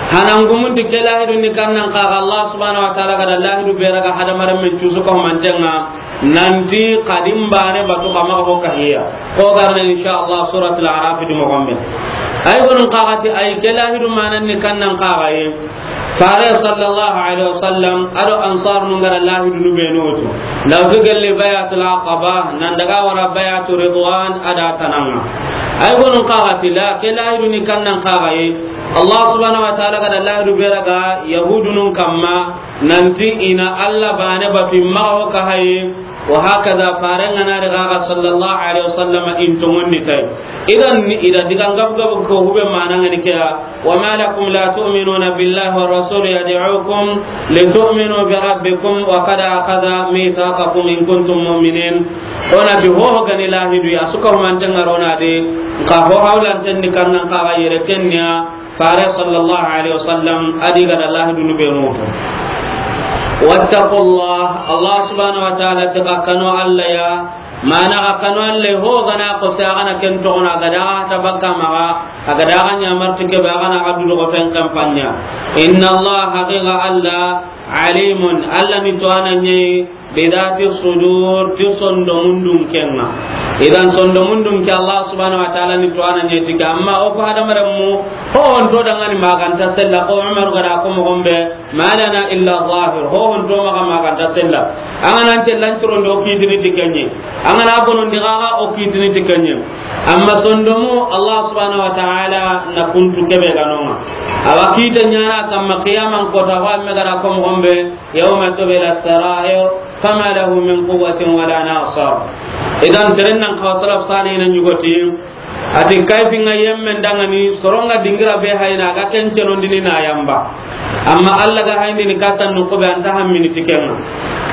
Hanangumun ti ke lahidu ni kannan ka ga, Allah subhanahu wa ta'ala ga da lahidu be raga hadamaren men cusu ko mantenga, nanti kadim bane batu kama ko kahiya. Ko garna insha Allah suratul A'raf di mo gombe. Ay gonun ka ga ti ay ke lahidu manan ni kannan ka ga ye. Fare sallallahu alaihi wasallam, a do ansar nu ga ra lahidu nu be nu tu. Law gelli bay'atul aqaba, nan daga wara bay'atu ridwan, a da tananga. Ay gonun ka ga ti la, ke lahidu ni kannan ka ga ye. Allah subhanahu wa ta'ala ga da lahidu be raga yahudunun kamma, nanti i na Alla bane batu i ma ho ka haye. Wa hakaza, faren ga na ri ga ga sallallahu alaihi wasallam in tongondi tay. Idan ni i da digan gab gab ko hube mana ngani ke ya. Wa ma lakum la tu'minuna billahi wa rasul yad'ukum litu'minu bi rabbikum wa qad akhadha mithaqakum in kuntum mu'minin. Ona bi ho ho ga ni lahidu ya suka mantenga rona de, ka ho hawlan ten ni kannan ka ga yere kenya. Fare sallallahu alaihi wasallam a di ga da lahidu nu be nu tu. Wattaqullah, Allah subhanahu wa ta'ala ti ka kanu Alla ya, mana ka kanu Alla ho ga na ko sa ga na ken to na ga da ta bakka ma ga, a ga da ga ɲamar ti ke ba ga na ga du do ko fen kampanya. Inna Allah, haqiqa Alla, alimun, Alla ni to ananye, bidati sudur, ti sondomundun kenga. Idan sondomundun ke Allah subhanahu wa ta'ala ni to ananye ti ke, amma o ko hadamaren mu, ho on to dangani maganta sella, ko Umar ga da ko mo gombe, ma lana illa zahir, ho on to maga maganta sella. An ga nan tellan turon do kitini ti kenye. An ga na bonon di ga ga o kitini ti kenye. Amma sondomu Allah subhanahu wa ta'ala na kuntu kebe ga nonga. Awa kita nyana kamma qiyaman kota wa me ga da ko mo gombe. Yawma tubla sarair, fama lahu min quwwatin wala nasir. Idan, seren nan kawa salaf sani na ɲugoti. Ati kayfi nga yemmen dangani, soronga dingira be hayna, ga ken cenondini na yamba. Amma Allah ga hayndini katan nu kube anta hammini tikenga.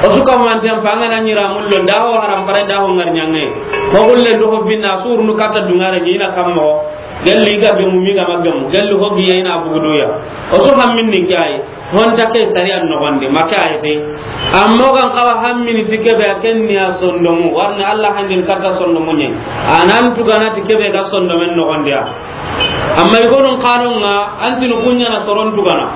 O suka manten pangana nyira mullo, daho haram pare, daho ngar nyange. Ko gulle ndo ho binna, surnu kata dungare nyina kammo. Gelli ga gemu, mi ga ma gemu. Gelli ho giye ina buguduya. O su hamminni kay. Honta ke sariyan nogondi, ma ke ayete. Amma o gan kawa hammini ti kebe a ken ni a sondomu, warni Allah handin kata sondomu nye. Anan tugana ti kebe ga sondomen nogondi ya. Amma igonun kanunga, antinu kunya na soron tugana.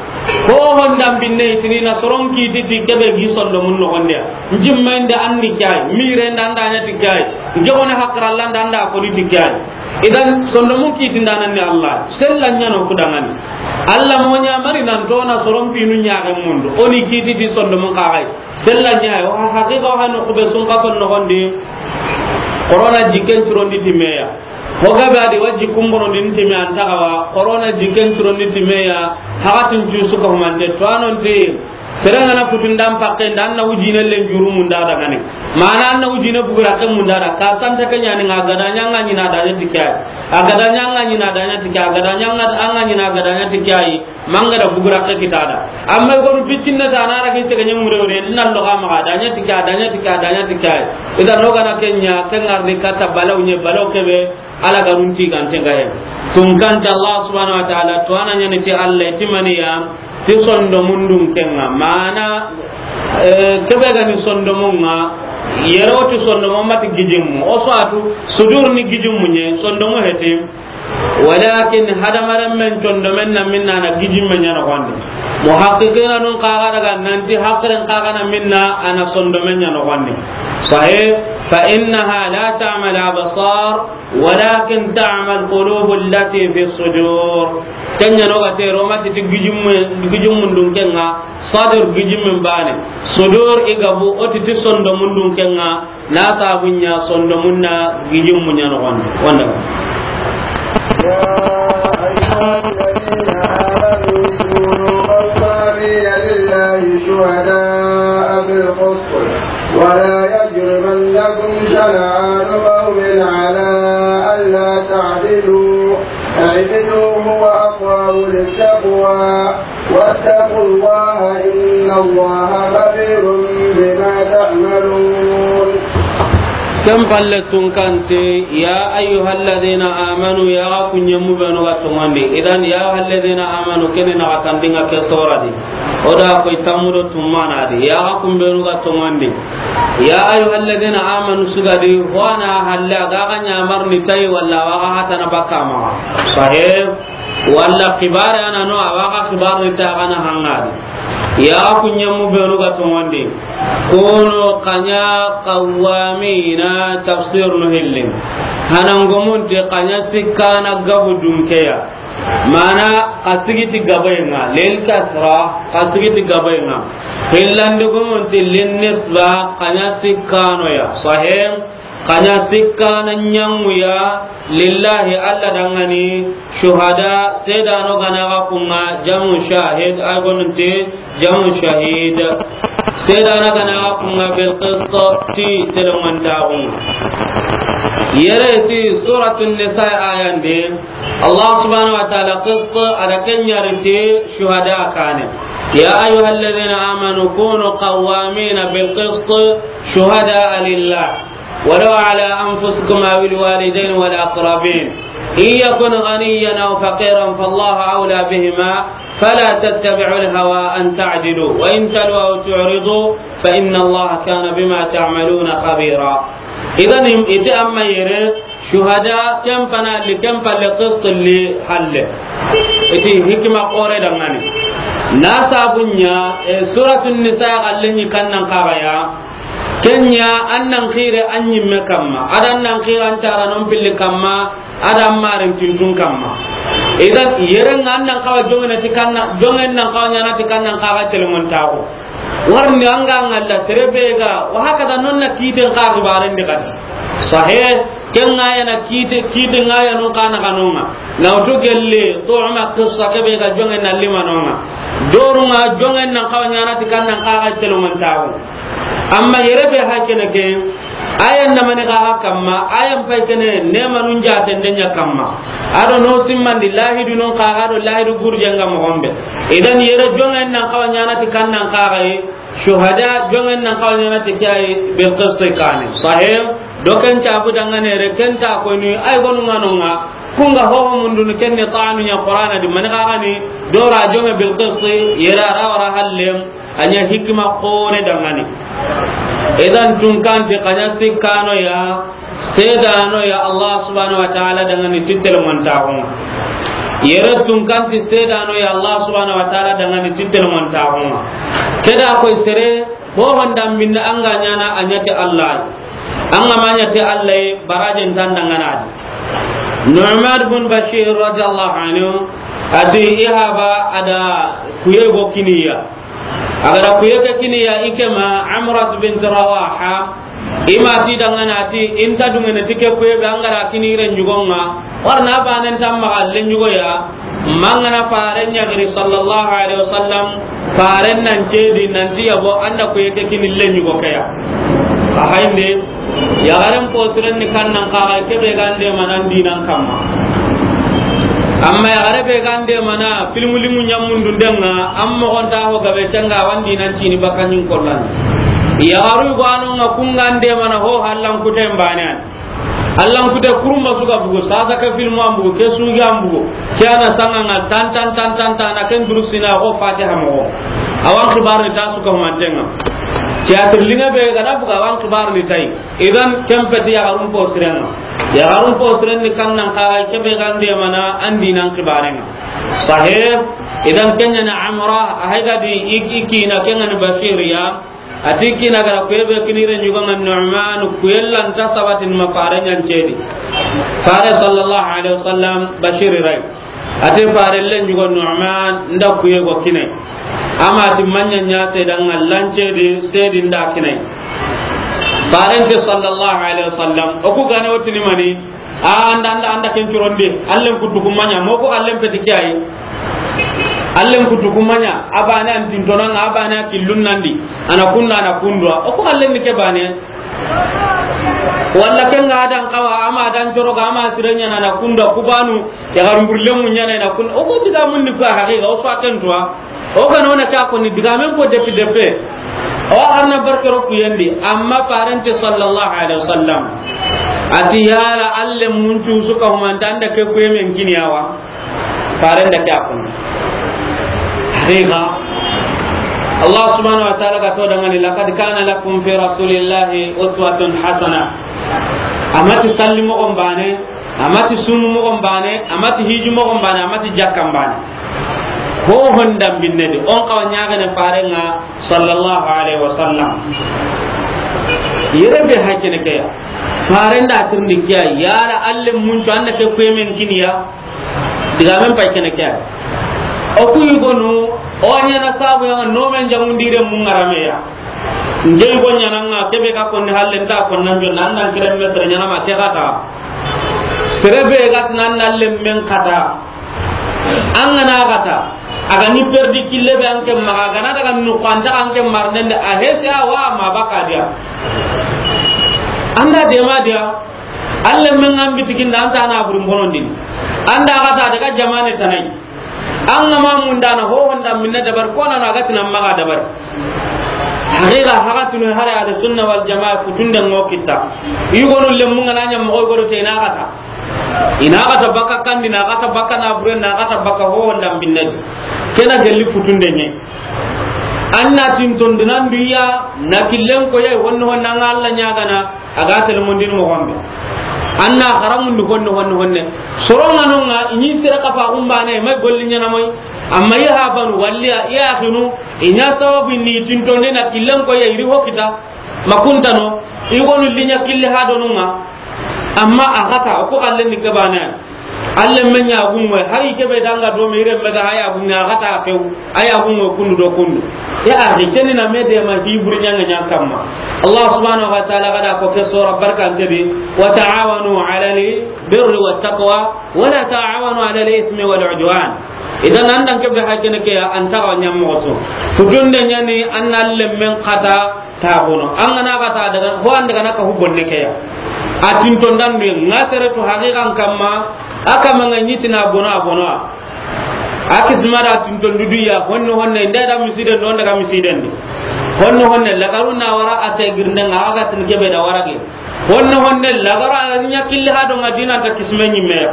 Ho honda binne itini na soron kiti ti kebe gi sondomun nogondi ya. Njimma inda andi kyai, mire inda anda anya ti kyai. Njogone hakralla inda anda kodi ti kyai. Idan, sondomun kitindanan ni Allah. Sella ɲano kudangani. Allah mo ɲa mari nan tona soron pinu ɲaxen mundu. Oni kiti ti sondomun kaxay. Sella ɲayo, ha, haqiqa ha no kube sun ka son noxondi. Corona jiken curondi timeya. Ho gabe adi wa jikun bonondi timeya antaxawa. Corona jiken curondi timeya. Haxatin cu suka humante. To anonti. Sere ngana kutundan pakke nda, an na wujine len juru munda dagane. Mana an na wujine bugura ke munda da, ka santa ke ɲani nga gada ɲanga ɲina da ɲa tikai. A gada ɲanga ɲina da ɲa tikai, a gada ɲanga anga ɲina gada ɲa tikai. Manga da bugura ke kitada. Amma ko bitinna ta na ra ke tege ɲe mure wure, nan lo ga ma da ɲa tikai, da ɲa tikai, da ɲa tikai. Idan no gana kenya, kengar ni kata balaw nye, balaw kebe. Alla ga runti gante ga he. Tunkan ti Allah subhanahu wa ta'ala, to a na ɲaani ti Allah, ti maniya, ti sondomundun kenŋa. Mana, eh, kebe ga ni sondomunŋa, yere o ti sondomu ma ti gijimmu. O so a tu, sudur ni gijimmu ɲa, sondomu heti. Walakin hadamarenmen sondomen na minna na gijimmen ɲa noxondi. Muhaqqiqina nun xa ga daga nanti haqilen xa ga na minna a na sondomen ɲa noxondi. Sahih, fa innaha la ta'mal absar, walakin ta'mal qulubu allati fi sudur. Ken ɲa no ga te ro ma ti gijimmu, gijimmundun kenŋa, sadur gijimmun bane. Sudur i gabu o ti ti sondomundun kenŋa, na sabun ɲa sondomun na gijimmu ɲa noxondi. Wanda. يا أيها الذين آمنوا كونوا قوامين لله شهداء بالقسط ولا يجرمنكم شنآن قوم على ألا تعدلوا، اعدلوا هو أقرب للتقوى، واتقوا الله إن الله خبير بما تعملون. Ken palle tunkan ti, ya ayyuhalladhina amanu, ya ga ku ɲemu benu ga tonŋandi. Idan, ya ayyuhalladhina amanu, kene na ga tandinŋa ke sora di. O da koy tammu do tumana di. Ya ga ku benu ga tonŋandi. Ya ayyuhalladhina amanu sugadi, ho a na halle ga ga ɲamarni tayi walla wa ga hatana bakka maxa. Sahih. Walla xibare a na no, a wa ga xibare ni ta ga na hangadi. Ya ku ɲemu benu ga tonŋandi. Kunu xa ɲa qawwamina, tafsir no hilli. Hanangumun ti xa ɲa sikkana gabu dunkeya. Mana xa sigi ti gabayenŋa, lil kasra, xa sigi ti gabayenŋa. Hillandigumun ti lin nisba, xa ɲa sikkanoya. Sahih. Xa ɲa sikkana ɲaŋuya lillahi, Alla danŋani, shuhada, sedano ga na ga kunŋa, jamu shahid, ay gonunte, jamu shahid. Sedana ga na ga kunŋa bil qist, ti telemantaxunŋa. Yere ti Suratun Nisa ayande, Allah subhanahu wa ta'ala qist, a da ken ɲa ri ti shuhada kane. يا أيها الذين آمنوا كونوا قوامين بالقسط شهداء لله ولو على أنفسكم أو الوالدين والأقربين إن يكن غنيا أو فقيرا فالله أولى بهما فلا تتبعوا الهوى أن تعدلوا وإن تلووا أو تعرضوا فإن الله كان بما تعملون خبيرا. Idan, im-, ite amma yere, shuhada, ken pana li, ken palle qist li halle. Iti hikima xoore danŋani. Na sabun ɲa, e, Suratun Nisa xalle ɲi kannan xaxaya. Ken ɲa, an nan xire an ɲimme kamma. Adan nan xire an cara non pilli kamma. Adan marin tintun kamma. Idan, yere ŋa an nan xawa joŋene ti kanna, joŋen nan xawa ɲaana ti kannan xaxa telemontaxu. Warni an ga ŋalla sere be ga, wa hakada non na kiten xa xibaren di kadi. Sahih, ken ŋa ya na kite, kite ŋa ya non xa na kanonŋa. Na wutu gelle, to ama qissa ke be ga joŋen na limanonŋa. Dorunŋa joŋen nan xawa ɲaana ti kannan xaxa telemontaxu. Amma yere be hakene ke, ayan na mani ga kamma, ayan pay kene ne manun jaten de ɲa kamma. Ado no simmandi lahidu non xaxa do lahidu gurjenŋa moxo be. Idan yere joŋen nan xawa ɲaana ti kannan xaxa yi, shuhada joŋen nan xawa ɲaana ti ke yi bil qist kane. Sahih, do ken ta bu danŋane re ken ta ko ni ay gonu ŋanonŋa, kunŋa hoho mundun ken ni tanu ɲa Qur'ana di mani xaxa ni, dora joŋe bil qist, yere a ra wara hallem, a ɲa hikima xoore danŋani. Idan tunkanti xa ɲa sikkanoya, sedanoya Allah subhanahu wa ta'ala danŋani ti telemontaxunŋa. Yere tunkanti sedanoya Allah subhanahu wa ta'ala danŋani ti telemontaxunŋa. Keda koy sere, ho honda mbinda an ga ɲaana a ɲa ti Allah. An ga ma ɲa ti Allah, barajen tan danŋana di. Nu'man bin Bashir radiyallahu anhu, ati ihaba ada kuye go kiniya. A ga da kuye ke kini ya i ke ma Amratu bint Rawaha, i ma ti danŋana ti, i nta duŋene ti ke kuye be an ga da kini ren ɲugo ŋa, warna banen tamma len ɲugo ya, mangana faren ɲa giri sallallahu alaihi wasallam, faren nan cedi nan ti yabo an da kuye ke kini len ɲugo ke ya. A hayinde, Yaxaren poturen ni kannan xaxa, ke be ga nde mana n dinan kamma. Amma yaxare be ga nde mana filmu limu ɲamundu ndenŋa, an moxonta ho gabe tenŋa, wan dinan cini bakanin kollan. Yaxaru go anonŋa kunŋa nde mana ho hallan kuten banen. Allan kute kurumba su ga bugu, sasa ke filmu an bugu, ke sugi an bugu, ke a na sanga nga tan, tan, tan, tan, tan, a na ken durusina ko Fatiha moxo. A wa an xibarini ta su ga humanten ŋa. Ke a tirlinga be ga na bugu, a wa an xibarini ta yi. Idan, ken peti yaxarun po siren ŋa. Yaxarun po siren ni kan nan xa, ke be ga nde mana an dinan xibaren ŋa. Sahih. Idan, ken ɲa ni Amra, a hay ga di i, i kiina, ken ŋa ni Bashir ya. A ti kiina ga ra kuye be kini ren ɲugo ŋa Nu'man, kuye lanta sabatin ma fare ɲancedi. Fare sallallahu alaihi wasallam Bashir ray. A ti fare len ɲugo Nu'man, nda kuye go kine. Ama ti manya ɲa te dan lancedi, sedi nda kine. Fare nte sallallahu alaihi wasallam, o ku gane o tini mani, A, anda, anda, anda ken corondi. Allen kutu kumanya. Moko allen peti kiyayi. Allen kutu kumanya. Abane an tintonanga, abane a killun nandi. A na kunda, a na kundwa. O ko allen ni ke bane. Walla ken ga adan kawa, ama adan coroga, ama sirenya na, na kundwa. Kubanu, ya garumbur lemu ɲana na kun. O ko diga mun ni ko haqiqa, o fa ken tuwa. O ga na o na ke a koni digamen ko depi depe. O arna barke ro kuyendi, amma fare nte sallallahu alaihi wasallam. A ti yala alle mun cu su ka humanta anda ke kuye men kiniya wa. Fare nda ke a koni. Haqiqa. Allah subhanahu wa ta'ala ga to dangani, "Laqad kana lakum fi rasulillahi uswatun hasana." Amati salli mogon bane, amati sumu mogon bane, amati hiji mogon bane, amati jakkan bane. Ho honda binne di, on kawa ɲagene fare ŋa sallallahu alaihi wasallam. Yere be hakene ke ya. Fare nda tirndi kiya, yara alle mun cu anda ke kuye men kiniya. Digamen pay kene ke ya. O ku yugonu, o ɲana sabu ya no men jangundire mun ŋarameya. Nge go ɲana nga kebe ka konni halle nta konna njo nan nan kire metre ɲana ma ke kata. Sere be ga nan nan lemmen kata. An ga na kata. A ga ni perdi kille be an ke maga, a ga na daga nu kwanta an ke marnende a hese a wa ma baka dia. Anda de ma dia. Alle men an bitikin da anta na burin bonondin. Anda kata daga jamane tanai. An ga ma mundana ho honda minna dabar kona na gatina maga dabar. Haqiqa haga tunu hare ahlu sunna wal jamaa kutunde ngo kita. Yugonu lemmu ngana ɲa mo goro te na gata. Ina gata baka kandi, na gata baka na bure, na gata baka ho honda minna. Kena gelli kutunde ne. Anna tin ton dinan duya na killen ko yai honno honna nga Allah ɲagana. A ga tele mondin mo gombe. Anna haramundu honne, honne, honne. Soronga nonga, i ɲi sere kafa gumbane, may golli ɲana moy. Amma i habanu, walli a, i axinu, i ɲa sababu ni tintonde na killen ko ya iri ho kita. Makuntano, i gonu linya killi ha donunga. Amma a xata, o ko xalle ni kebane. Alle men ya gunwe, hari kebe danga do me ire mega haya gunwe, a xata few. Aya gunwe kundu do kundu. Ya axi, keni na me de ma hi buri ɲanga ɲa kamma. Allah subhanahu wa ta'ala gada ko ke sura barka ntebi, "Wa ta'awanu 'alal birri wat taqwa, wa la ta'awanu 'alal ithmi wal 'udwan." Idan andan kebe hakene ke ya anta wa ɲam moxo. Futunde ɲani an alle men xata ta bono. An gana xata daga, ho an daga na ka hu bonne ke ya. A tinton dan du nga sere to haqiqan kamma, aka manga ɲitina bono a bono. A kisma da tinton dudu ya, honno honne, nda da misiden, no daga misiden di. Honno honne, lagaru na wara a te girnde nga, aga tin kebe da wara ge. Honno honne, lagara ɲa killi ha do nga dina ta kisme ɲimme ya.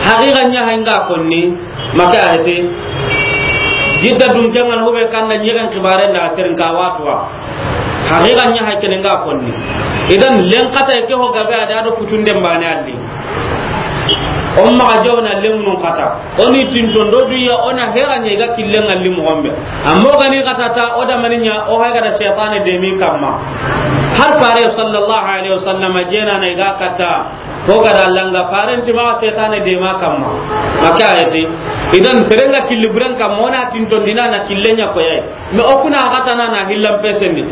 Haqiqa ɲa ha nga konni, maka ayete. Jidda dun kengan hube kanda ɲegen kibare nda terin ka watwa. Haqiqa ɲa ha kene nga konni. Idan len kata ke ho gabe ada do kutunde mbane alli. On maxa jawna lemunu xata. Oni tinton do duya ona hera ɲe ga killen alli mo gombe. Amma gani xata ta o da maninya o ha ga da shaytane de mi kamma. Har fare sallallahu alaihi wasallam jena na ga kata. Ko ga da langa faren ti ma shaytane de ma kamma. Maka ayati. Idan serenga killi buren kamma ona tinton dina na killen ɲa ko yai. Me okuna xata na na hillan pesendi.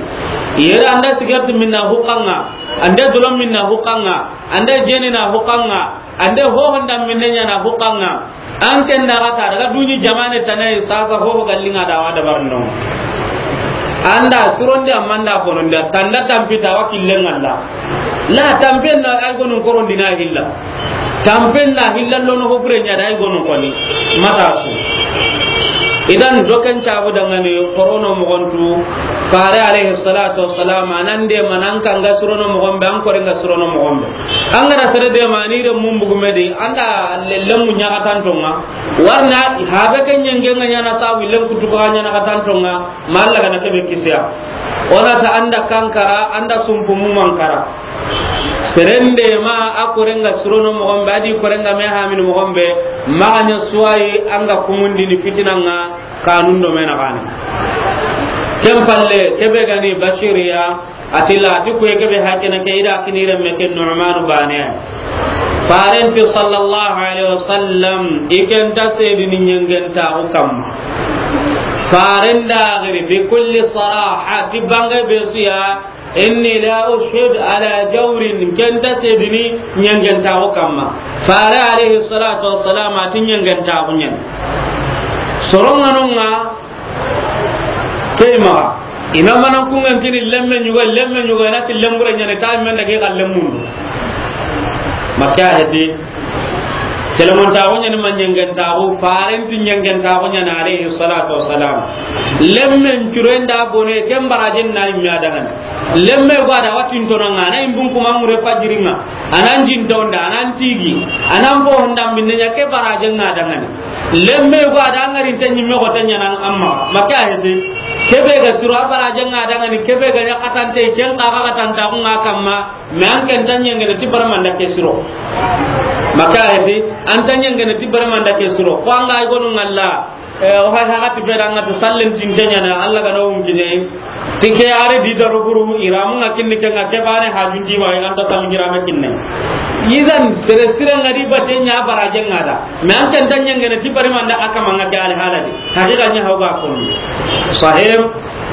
Yera anda sigarti minna hukanga. Ande dolon minna hukanga. Ande jeni na hukanga. Ande hoho nda minne ɲana hukanga. An ken da gata daga duni jamane tanai sasa hoho gallinga da wa dabar no. Anda suronde amanda bononde tanda tampita wa killen Allah. La tampen na ay gonun korondi na hilla. Tampen na hilla lono ho bure ɲa da ay gonun koni. Mata su. Idan, doken cabu dangani korono moxontu, Fare alayhi salatu wassalam, a nan de ma nan kanga surono moxon be, an kore nga surono moxon be. An ga da sere de ma ni de mun bugu me de, an da lemu ɲaxatantonga. Warna, habe ke ɲenge nga ɲana ta, willen kutu ko ɲana xatantonga, ma Alla ga na kebe kisiya. O na ta an da kankara, an da sumpu mu mankara. Seren de ma a kore nga surono moxon be, a di kore nga me hamini moxon be, ma ga ɲa suwayi an ga kumundini fitinanga, kanun do me na gani. Ken palle, kebe gani Bashiriya, atila, ati kuye kebe hakene ke, i da kini renme ke Nu'manu bane. Farenti sallallahu alaihi wasallam, i ken ta sedini ɲengentaxu kamma. Faren da giri bi kulli saraha, ti bange be suya, inni la ushhid ala jawrin, ken ta sedini ɲengentaxu kamma. Fare alayhi salatu wassalam, ati ɲengentaxu ɲen. Soronganonga, Kei maxa, i na manan kungantini lemme ɲuga, lemme ɲuga, i na ti lembure ɲani, ta men da ke ga lemmundu. Makka heti. Telemontaxu ɲani ma ɲengentaxu, farenti ɲengentaxu ɲani, alayhi salatu wassalam. Lemmen curen da bone, ken barajen na yimme a dangani. Lemme go a da watintonanga, a na yimbun kuma mure fajiringa. A nan jintonda, a nan tigi, a nan fo honda minne ɲa ke barajen na dangani. Lemme go a da ngari te ɲimme go te ɲana amma. Makka heti. Kebe ga siro a barajen na dangani, kebe ga ɲa katante, ken ka ga katantaxu nga kamma. Me an ken ta ɲengene ti barmanda ke siro. Makka heti. An ta ɲengene ti barmanda ke siro. Ko an ga i gonu ngalla. Eh, o hay hagati be danga to sallen tinte ɲana, Alla ga na wun kine. Ti ke are di daro buru, iramu nga kinni ke nga ke bane hajun di ma, i ganta sallu girame kinne. Idan, sere sire nga di bate ɲa barajen nga da. Me an ken ta ɲengene ti bari manda aka manga ke ale haladi. Hakika ɲa hawga ko. Sahib,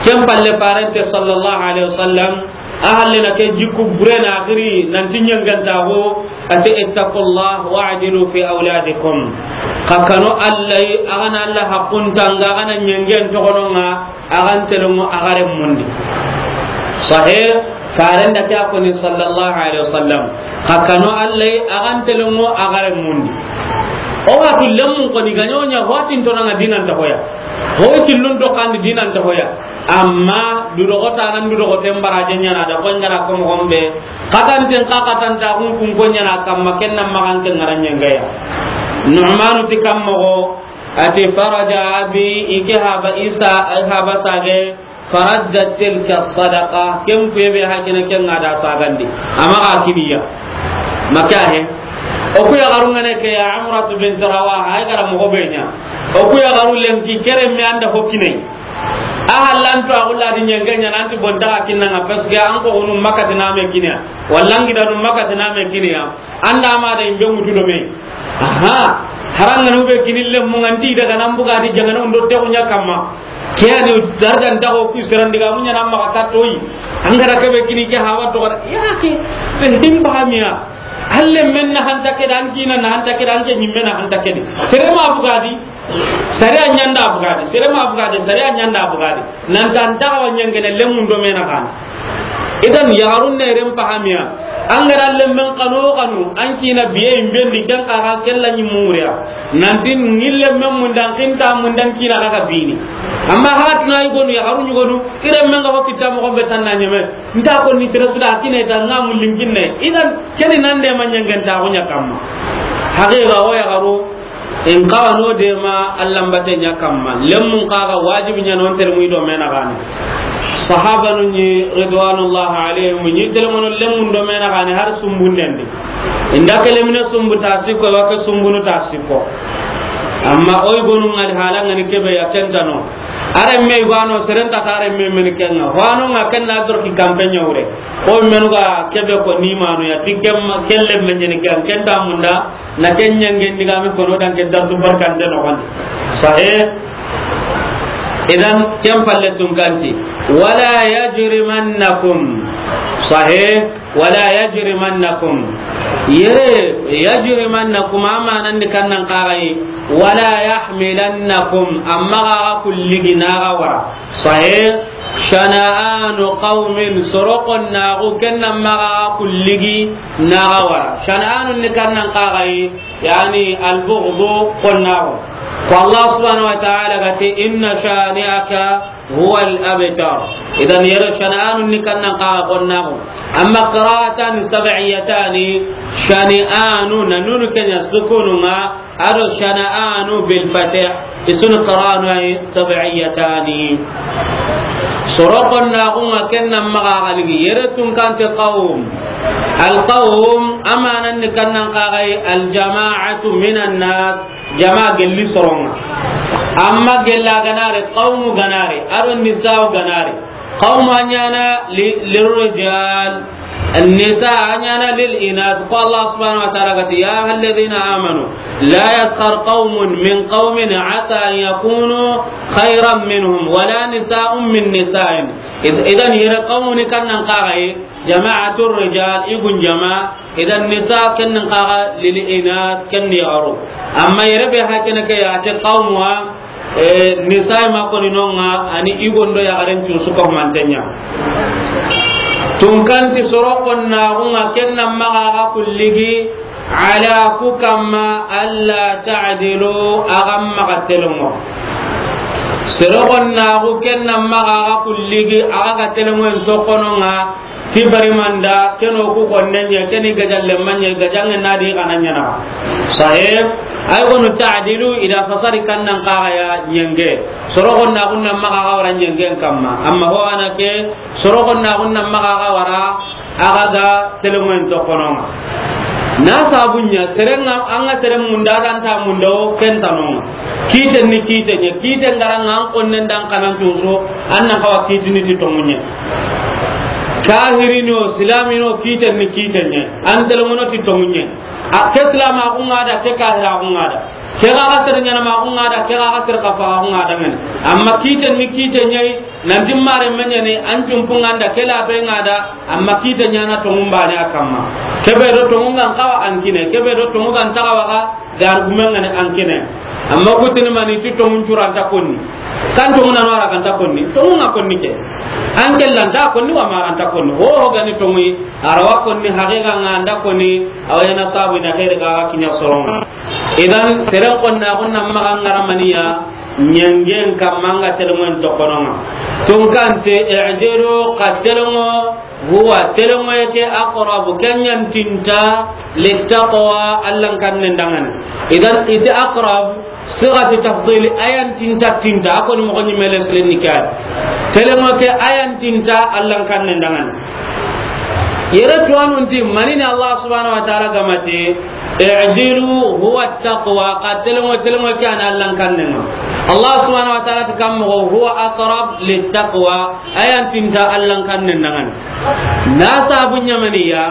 ken palle farente sallallahu alaihi wasallam, A halle na ke jikku bure na axiri, nanti ɲengentaxu, a ti, "Ittaqullah wa'dilu fi awladikum." Xa kanu Alla yi, a ga na Alla haqqun tanga, a ga na ɲengen toxononga, a ga n telongo a ga remmundi. Sahe, farenda ke a koni sallallahu alaihi wasallam. Xa kanu Alla yi, a ga n telongo a ga remmundi. O wa tu lemmun koni ga ɲoɲa, ho a ti n tonanga dinanta hoya. Ho i tillun to kandi dinanta hoya. Amma dudoxota nan dudoxoten baraje ɲana da, ko ɲana ko moxon be. Xatanten xa xatanta kun kun ko ɲana kamma, ken na maxan ke ŋara ɲengaya. Nu'manu ti kam moxo, a ti, "Faraja abi, i ke haba Isa, haba sage, faradda tilka sadaqa." Ken kuye be hakene ken ŋa da sagandi. Ama ga kiniya. Maka he. O ku yaxaru ŋa ne ke ya Amratu bint Rawaha, ay gara moxo be ɲa. O ku yaxaru lenki kere mi anda ho kinai. A hallanto a xulla di ɲenge ɲana, anti bonta xa kinna ŋa, parce que an ko hunu makati na me kiniya, walla n gidanu makati na me kiniya, anda ma da imbe mutu do me. Aha, haranga nu be kinille mu nganti daga nan buga di jangana undo te kunya kamma. Ke ani darga nda ko ku serandi ga munya na ma ka toyi. An gara ke be kini ke hawa to gara. Ya ke, be him bahamiya. Alle men na hanta ke dan kina na hanta ke dan ke nyimme na hanta ke di. Sere ma buga di. Sariya ɲanda bugadi, sere ma bugadi, sariya ɲanda bugadi. Nan tan taxawa ɲengene lemmun do mena xana. Idan yaxarun ne ren pahamiya. An gara lemmen xano xanu, an kina biye imbendi, ken xa xa kella ɲi muriya. Nanti ni lemmen mun dan kinta mun dan kina xa xa bini. Amma hatuna i gonu, yaxarun ɲi gonu, i remmen ga ho kitta moxon be tanna ɲeme. Nta ko ni sere suda kina ita nga mun linkinne. Idan keni nan de ma ɲengentaxu ɲa kamma. Haqiqa o yaxaru, in kawa no de ma Alla mbate ɲa kamma. Lemmun kaga wajibi ɲa non tere mu i do mena gani. Sahabanu ɲi ridwanullah alayhim ɲi tere mono lemmun do mena gani har sumbun dendi. Inda ke lemine sumbu ta sikko, wa ke sumbunu ta sikko. Amma oy gonu ngali hala ngani kebe ya kentano. Are me gano serenta tare me men kenga. Wano nga kenna dor ki kampenya wure. Oy menu ga kebe ko ni manu ya tikem kelle men ni ken kenta munda. Na ken ɲangen diga mi kono dan ke darsu barkante no gon. Sahe. Idan ken palle tun kanti. Wala yajrimannakum. Sahe. Wala yajrimannakum. Yere yajrimannakum amanan di kannan kagai. Wala yahmilannakum. Amma ga kulligi na ga wara. Sahe. Shana'anu qawmin, soro konnaxu, ken na maxa kulligi naxa wara. Shana'anu ni kannan kaxayi, yani albughdu konnaxu. Ko Allah subhanahu wa ta'ala ga إن شانئك هو الأبتر. Idan, yere shana'anu ni kannan kaga konnaxu. Amma qira'atan sab'iyatani, shani'anu, na nunu kenya sukununga, ado shana'anu bil fatih, isun qira'anu ay sab'iyatani. Soro konnaxunga kennan maxa galigi, yere tunkante qawm. Al qawm, amanan ni kannan kaga ay al jama'atu minan nas, jama gelli soronga. Amma gella ganare, qawmu ganare, ado nisa'u ganare. Qawmu anyana li-, lirrijal, nisa anyana lil inas. Ko Allah subhanahu wa ta'ala gati, "Ya ayyuhalladhina amanu, la yaskhar qawmun min qawmin asa an yakunu khayran minhum, wala nisa'un min nisa'in." Id-, idan yere qawmu ni kannan kaga ay, jama'atur rijal, igun jama, idan nisa kennin kaga lil inas, kenni yaro. Amma yere be hakene ke ya te qawmuwa, e, nisa ma koni nonga, ani igondo ya garen cu suko mantenya. Tunkanti soro konnaxunga kennan maxa ga kulligi, ala ku kamma alla ta'dilu, agam maxa telongo. Soro konnaxu kennan maxa ga kulligi, aga telongo en sokononga, Ti bari manda, keno ku konne ɲa, keni gajalle ma ɲa, gajange na di kana ɲana. Sahib, ay gonu ta'dilu, ida fasari kannan kaga ya ɲenge. Soro gonna gunna maxa ga wara ɲengen kamma. Amma ho ana ke, soro gonna gunna maxa ga wara, aga ga telemoyen to kononga. Na sabunya, serenga, anga seren munda dan ta munda o ken tanonga. Kiten ni kiten ɲa, kiten garanga an konnen dan kanan tuso, annan kawa kitini ti tongunye. Kahirino, silamino, kiten ni kiten ɲa. An telemono ti tongunye. A, ke silama kunga da, ke kahira kunga da. Ke ga ga sere ɲana ma kunga da, ke ga ga sere kafa kunga da ngene. Amma kiten ni kiten ɲa, nanti mare menyane, an jumpunga da, ke la be nga da, amma kiten ɲana tongun bane a kamma. Kebe do tongun ngan kawa an kine, kebe do tongun ngan tagawa ga, Gar gumen ngani an kine. Amma kutini mani ti tongun curanta konni. Kan tongun anu ara kanta konni. Tongun nga konni ke. An kellanta konni wa maranta konni. Ho ho gani tongun. Arawa konni haqiqa nga anda konni. Awayana tabu ina khairi ga kinya soronga. Idan seren konna kunna maga ngara maniya. Ɲengen kamma nga telemoyen to kononga. Tunkante i'dilu ka telemoyen Huwa, telengoye ke aqrabu, ken ɲa ntinta, littaqwa, Allan kannen dangana. Idan, iti aqrab, sigati tafdili, a ya ntinta tinta, a koni moxo ɲi mele silenni kay. Telengoye ke a ya ntinta, Allan kannen dangana. Yere tuwanu nti, manini Allah subhanahu wa ta'ala gamati, I'dilu huwa taqwa, ka telengo, telengo ke ana Allan kannenga. Allah subhanahu wa ta'ala ti kammo huwa aqrab littaqwa, a ya ntinta Allan kannen dangana. Na sabu ɲamaniya,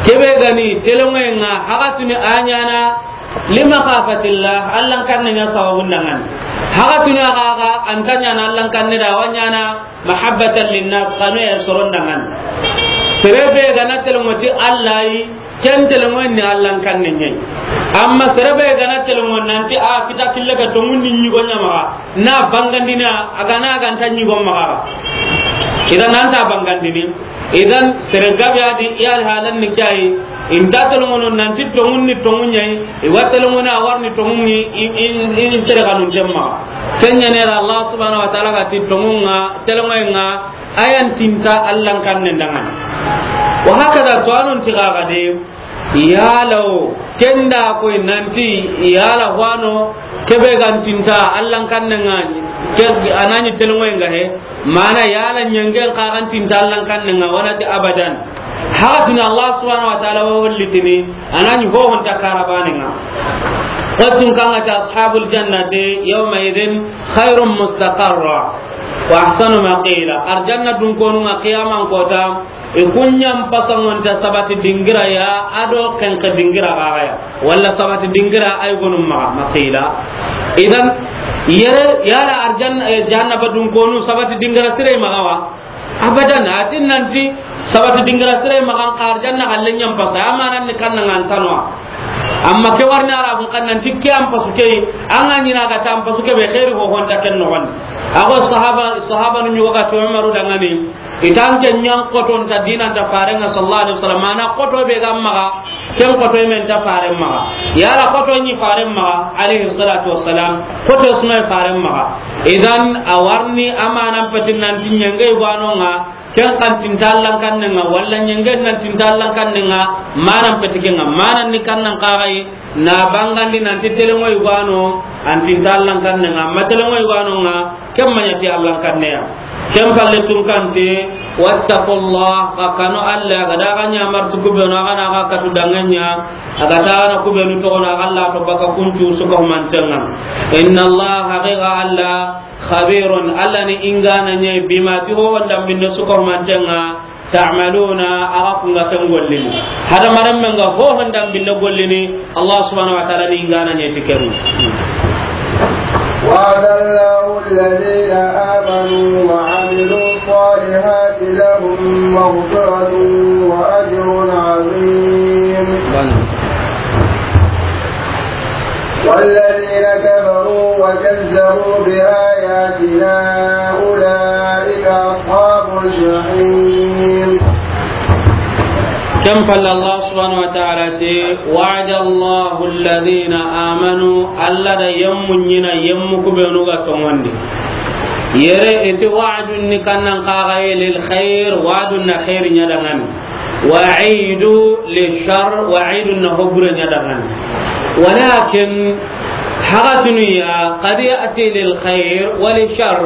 kebe gani telengo nga hagatuni a ɲana li makhafatillah, Allan kannen ɲa sababu dangana. Hagatuni aga aga anta ɲana Allan kanne da wa ɲana mahabbatan linnas, kanu ya soron dangan. Serebe gana telengo ti Allah yi, ken telengo ni Allan kanne ɲa. Amma serebe gana telengo nanti a kita kille ga tongun ni ɲigo ɲa maxa, na bangandina, a gana ganta ɲigo maxa. Idan nanta bangandini. Idan sere gabe adi ya halan ni kai. Inta tolongono nanti tongun ni tongun ɲa yi, i wa tolongono a warni tongun ni, i, i, i tere kanun temma. Ken ɲa ne ra Allah subhanahu wa ta'ala ga ti tongun nga, telongoyen nga, a ya ntinta Allan kannen dangana. Wa hakada to anon ti gaga de, yala o, kenda koy nanti, yala wano, kebe ga ntinta Allan kannen nga, ke, anani telongoyen nga he, Mana yala ɲengen ka ga ntinta Allan kannen nga, wa na ti abadan. Hagatuni Allah subhanahu wa ta'ala wa hollitini, anani hohonta karabanenga. Wattun kanga ta ashabul jannati yawma idhin khairun mustaqarra wa ahsanu maqila. Arjanna dun konu nga qiyaman kota, I kuɲan pasangonta sabati dingira ya, ado kenke dingira gaga ya. Walla sabati dingira ay gonu maga, maqila. Idan, yere, yala arjan, eh, jahannaba dun konu sabati dingira sire maga wa? Abadan, atin nanti sabati dingira sire maga ka arjanna galle ɲan pasa, amanan ni kanna ngantanwa. Amma ke warni Arabun kan nanti ke an pasu ke, an ga ɲina ga ta an pasu ke be khairi ho honta ken no gon. Ago sahaba, sahaba nu ɲugo ga to Umaru dangani. Itan ke ɲan koton ta dinan ta farenga sallallahu alaihi wasallam. Mana koto be ga maga, Ken xoto i me nta faren maxa. Yala xoto ɲi faren maxa, alayhi salatu wassalam, xoto su me faren maxa. Idan, a wa riini amanan peti nanti ɲenge yugo no ŋa, ken xa nti nta Allan kanne ŋa, walla ɲenge na nti nta Allan kanne ŋa, manan peti ken ŋa, manan ni kannan xa ga yi, na bangandi nanti telenŋo yugo no, a nti nta Allan kanne ŋa, ma telenŋo yugo no ŋa, ken ma ɲa ti Allan kanne ya. Ken palle tunkante, wattaqullah, xa kanu Alla, ga da ga ɲamar tu kubenu, a ga na ga katu danŋa ɲa, a ga ta na kubenu toxo na, Alla to baka kuncu su ka humanten ŋa. Inna Allah, haqiqa Alla, khabirun, Alla ni ingana ɲa, bima, ti ho wanda minne su ka humanten ŋa, ta'maluna, a ga kunga ken gollini. Hada maram men ga ho wanda minne gollini, Allah subhanahu wa ta'ala ni ingana ɲa ti ken. وعد الله الذين آمنوا وعملوا الصالحات لهم مغفرة وأجر عظيم. والذين كفروا وكذبوا بآياتنا أولئك أصحاب الجحيم. Ken palle Allah subhanahu wa ta'ala ti, وعد الله الذين آمنوا, Alla da yemmu ɲiina, yemmu kubenu ga tonŋundi. Yere i ti wa'dun ni kannan xa ga yi lil khair, wa'dun na khair ɲa danŋa ni. Wa'idu lil shar, wa'idun na ho bure ɲa danŋa ni. Walakin, haxatunu ya, qad ya'ti lil khair wa lil shar,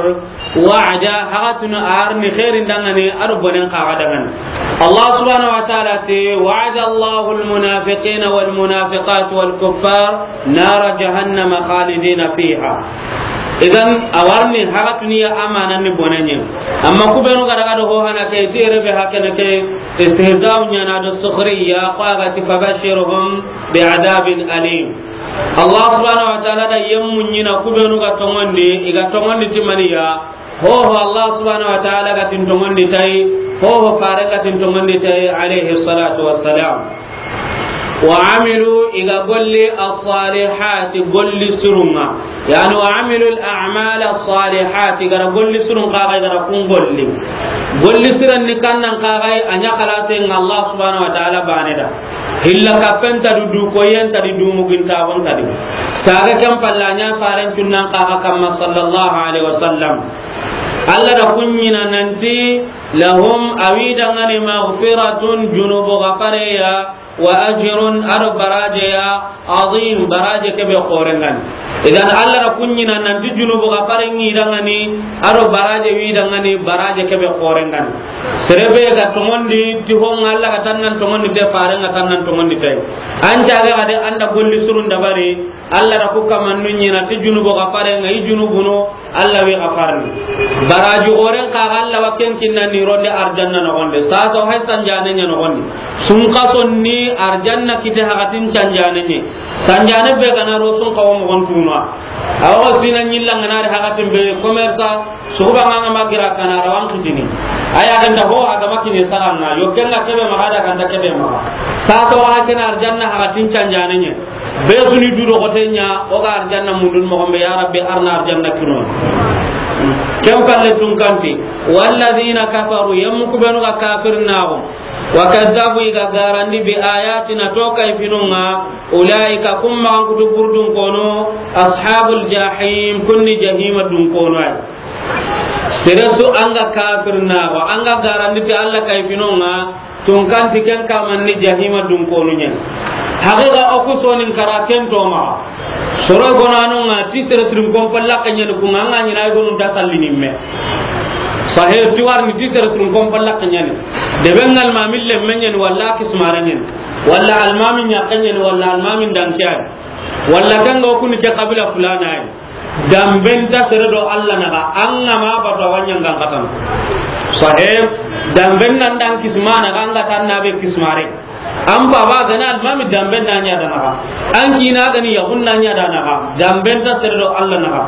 wa'da, haxatunu a riini khairin danŋa ni, a do bonen xa ga danŋa ni. Allah subhanahu wa ta'ala ti, وعد الله المنافقين والمنافقات والكفار نار جهنم خالدين فيها. Idan, a wa riini haxatunu ya amanan ni bonen ɲa. Amma kubenu ga daga do ho hana ke, ti yere be hakene ke, istihza'u ɲa na do sukhriya, ko a ga ti, فبشرهم بعذاب أليم. Allah subhanahu wa ta'ala da yemmu ɲiina kubenu ga tonŋundi, i ga tonŋundi ti maniya, ho ho Allah subhanahu wa ta'ala ga ti n tonŋundi ti a yi, ho ho fare ga ti n tonŋundi ti a yi, alayhi salatu wassalam. Wa amilu, i ga golli, as-salihati, golli sirun ŋa. Yani, wa amilu al-a'mal as-salihati, i ga ra golli sirun xa ga, i ga ra kun golli. Golli siren ni kannan xa ga, a ɲa xalasen ŋa Allah subhanahu wa ta'ala baane da. Hilla kappen ta du, du koyen ta di, du mugintaxun ta di. Saga ken palle a ɲa faren cunnan xa ga kamma sallallahu alaihi wasallam. Alla da kun ɲiina nanti, lahum, a wi danŋa ni, maghfiratun, junubu gafare ya, wa ajrun, a do baraje ya, azim, baraje ke be xoren ŋa ni. Idan Alla da kun ɲiina nanti junubu gafare ŋi danŋa ni, a do baraje wi danŋa ni, baraje ke be xoren ŋa ni. Sere be ga tonŋundi ti ho ŋa, Alla ga tannan tonŋundi te, faren ga tannan tonŋundi te. An caage ga de an da golli sirun dabari, Alla da ku kamannu ɲiina ti junubu gafare ŋa, i junubunu, Alla wi gafarni. Baraji xoren xa ga Alla wa ken kinna ni ronde arjanna noxon di. Saasa hay sanjaane ɲa noxon di. Sunxason ni arjanna kite haxatin canjaane ɲa. Sanjaane be ga na ro sunxa wo moxon tunu a. Awa sina ɲilla ŋa na ri haxatin be commerce, suxuba ŋa ŋa ma gira kana rawan kitini. Aya ganta ho a ga ma kini saxan ŋa. Yo ken ŋa ke be maxa da ganta ke be maxa. Saasa wa ken arjanna haxatin canjaane ɲa. Be su ni du do xote ɲa, o ga arjanna mundun moxon be, ya Rabbi, arna arjanna kino. Ken palle tunkanti, walladhina kafaru, yemmu ku benu ga kafirnaxu, wa kadhabu, i ga garandi, bi ayatina, to kayfinun ŋa, ulaika, kum maxan kutu burdun kono, ashabul jahim, kun ni jahima dun kono ay. Sere su an ga kafirnaxu, an ga garandi ti Alla kayfinun ŋa, tunkanti ken kaman ni jahima dun konu ɲa ni. Haqiqa o ku sonin kara ken to maxa. Soro gonanu ŋa ti sere sirin kon palla kanyani ku ŋa ŋa ɲina ay gonu da sallini me. Sahe ti warni ti sere sirin kon palla kanyani. De ben almamin le men ɲa ni walla kismare ɲa ni. Walla almamin ɲa kanyani walla almamin dan kiyani. Walla kanga o kuni ke kabila fulana ay. Damben ta sere do Alla naxa, an ga ma batu a wa ɲangan katana. Sahib, damben nan dan kisma naxa, an ga tan na be kismare. An baba ga na almami damben na ɲa da naxa. An kina ga ni yahun na ɲa da naxa. Damben ta sere do Alla naxa.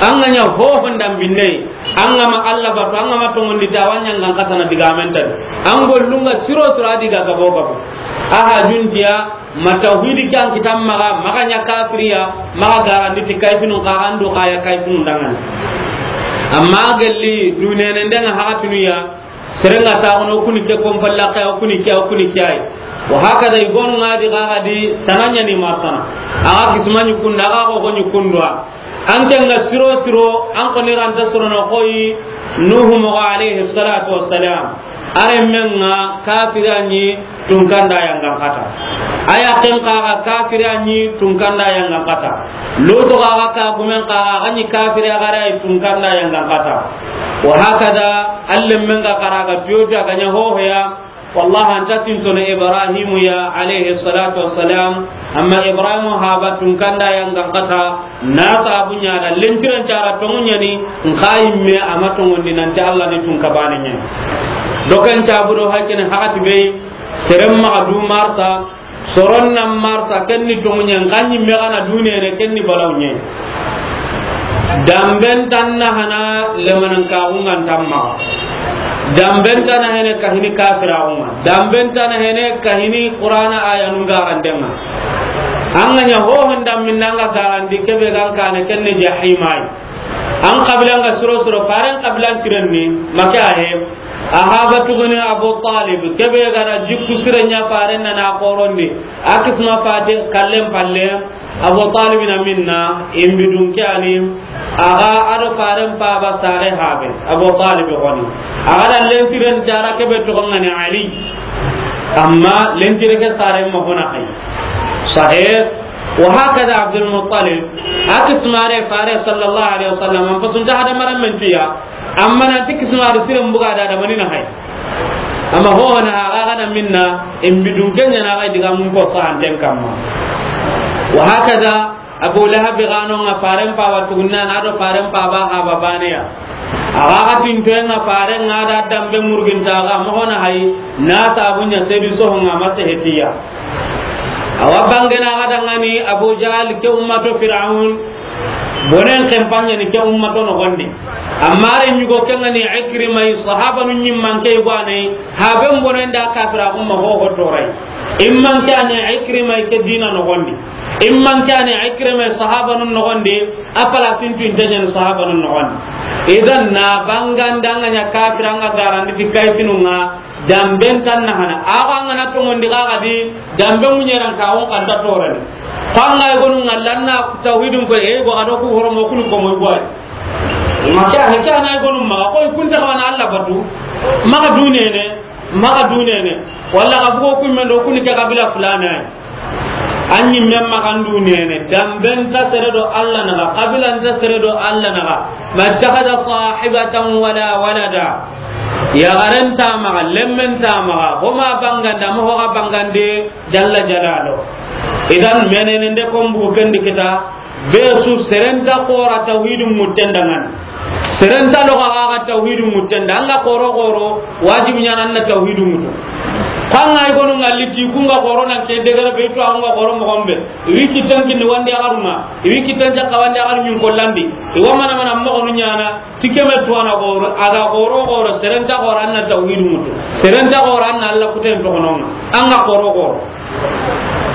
An ga ɲa ho hon dambinde. An ga ma Alla batu, an ga ma tonŋundi ta wa ɲangan katana digamen ta. An gollun ŋa siro siro a di ga gabo gabo. Aha juntiya, ma tawhidi ke an kitan maxa, maxa ɲa kafiriya, maxa garandi ti kayfinun xa, an do xa ya kayfinun danŋa ni. Amma gelli dunenen den ŋa haxatunu ya, sere ŋa ta xono kuni ke kon palla xa, kuni ke, kuni ke ay. Wa hakada, i gonu ŋa di xa ga di tana ɲa ni martana. A ga kisma ɲi kunda, a ga xoxo ɲi kundwa. An ke ŋa siro siro, an xo ni ranta sorono xoyi, Nuhu moxo alayhi salatu wassalam. A renmen ŋa kafiri a ɲi tunkanda yangan kata. A yaqen xa ga kafiri a ɲi tunkanda yangan kata. Lutu xa ga kagumen xa ga ɲi kafiri a ga ra yi tunkanda yangan kata. Wa hakada, a renmen ga xa ra ga tiyo tiyo a ga ɲa hohoya. Wallahi, an ta tintono Ibrahimu ya, alayhi salatu wassalam. Amma Ibrahimu haba tunkanda yangan kata, na sabu ɲa da, lentiren cara tongu ɲa ni, nxa yimme a ma tongondi nanti Allah ni tunka bane ɲa ni. Doken cabu do haykene hakati be, seren maxa du marta, soron na marta, ken ni tongu ɲa, nxa yimme ga na dunene, ken ni balaw ɲa. Damben tanna hana lemanan kaxungan tamma. Damben tana hene kahini kafiraxunga. Damben tana hene kahini Qur'ana aya nunga randenga. An ga ɲa hohon damminna nga garandi kebe gan kane kenne jahimai. An kabilan ga suro suro faren kabilan tirenni, make ahe. Ahaba tuguni Abu Talib, kebe gana jikku sire ɲa faren na na korondi. Akisma fate kallen palle. Abu Talib na minna, imbi dun ke ani, a ga a do faren paba sare habe, Abu Talib goni. A ga da lentiren jara kebe toxo ngani Ali. Amma lentire ke sare ma hona hay. Sahih. Wa hakada Abdul Muttalib, akismare fare sallallahu alaihi wasallam, am pasunta hada maram mentiya. Amma nanti kismari siren buga da da manina hay. Amma ho na a ga na minna, imbi dun ke ɲa na ga diga mun ko sahanten kamma. Wa hakada Abu Lahab gano nga faren paba tugunna na do faren paba ga babane ya. A ga ga tinto nga faren nga da dambe murginta ga mo hona hay na sabu ɲa sebi so nga ma sehetiya. Awa bangena ga dangani Abu Jahal ke ummato Fir'aun. Bonen kempanya ni ke ummato no gondi. Amma re ɲugo ke ngani Ikrima yi sahaba nun ɲimman ke gwane, haben bonen da kafira umma ho ho torai. Imman kane Ikrima ke dina no gondi. Imman kane Ikrima sahaba nun no gondi. Apala sintu intenyen sahaba nun no gondi. Idan na banganda nga ɲa kafira nga garandi fi kaifinunga. Damben tan na hana. Awa nga na tongondi ga ga di, dambe munyeran ka on kan ta torani. Ko an ga gonu nga lanna tawhidun ko e go ado ku horomo kunu ko mo boy. Ma kya he kya na gonu ma ko kun ta wana Allah batu. Ma ga dunene, ma ga dunene. Walla ga bugo kun men do kun ke kabila fulana. Anyi memma kandu nene, damben ta sere do Allah naga, kabilan ta sere do Allah naga. Ma ittakhadha sahibatan wala walada. Yaxaren ta maxa, lemmen ta maxa, homa banganda, mo hoga bangande, jalla jalalu. Idan menene nde kombu kendi kita, be su serenta xora tawhidun mutten dangani. Serenta loga ga tawhidun mutten da, anga xoro xoro, wajibi ɲana anna tawhidun mutu. Kanga igonu ngalli ti kunga xoro nan ke degere be to anga xoro mo gombe. Iwi kitan kinni wandi agaruma, iwi kitan jakka wandi agarun ɲun kollandi. Iwa mana mana mo gonu ɲana, tikeme tuwana xoro, aga xoro xoro, serenta xoro anna tawhidun mutu. Serenta xoro anna Allah kuten to gononga. Anga xoro xoro.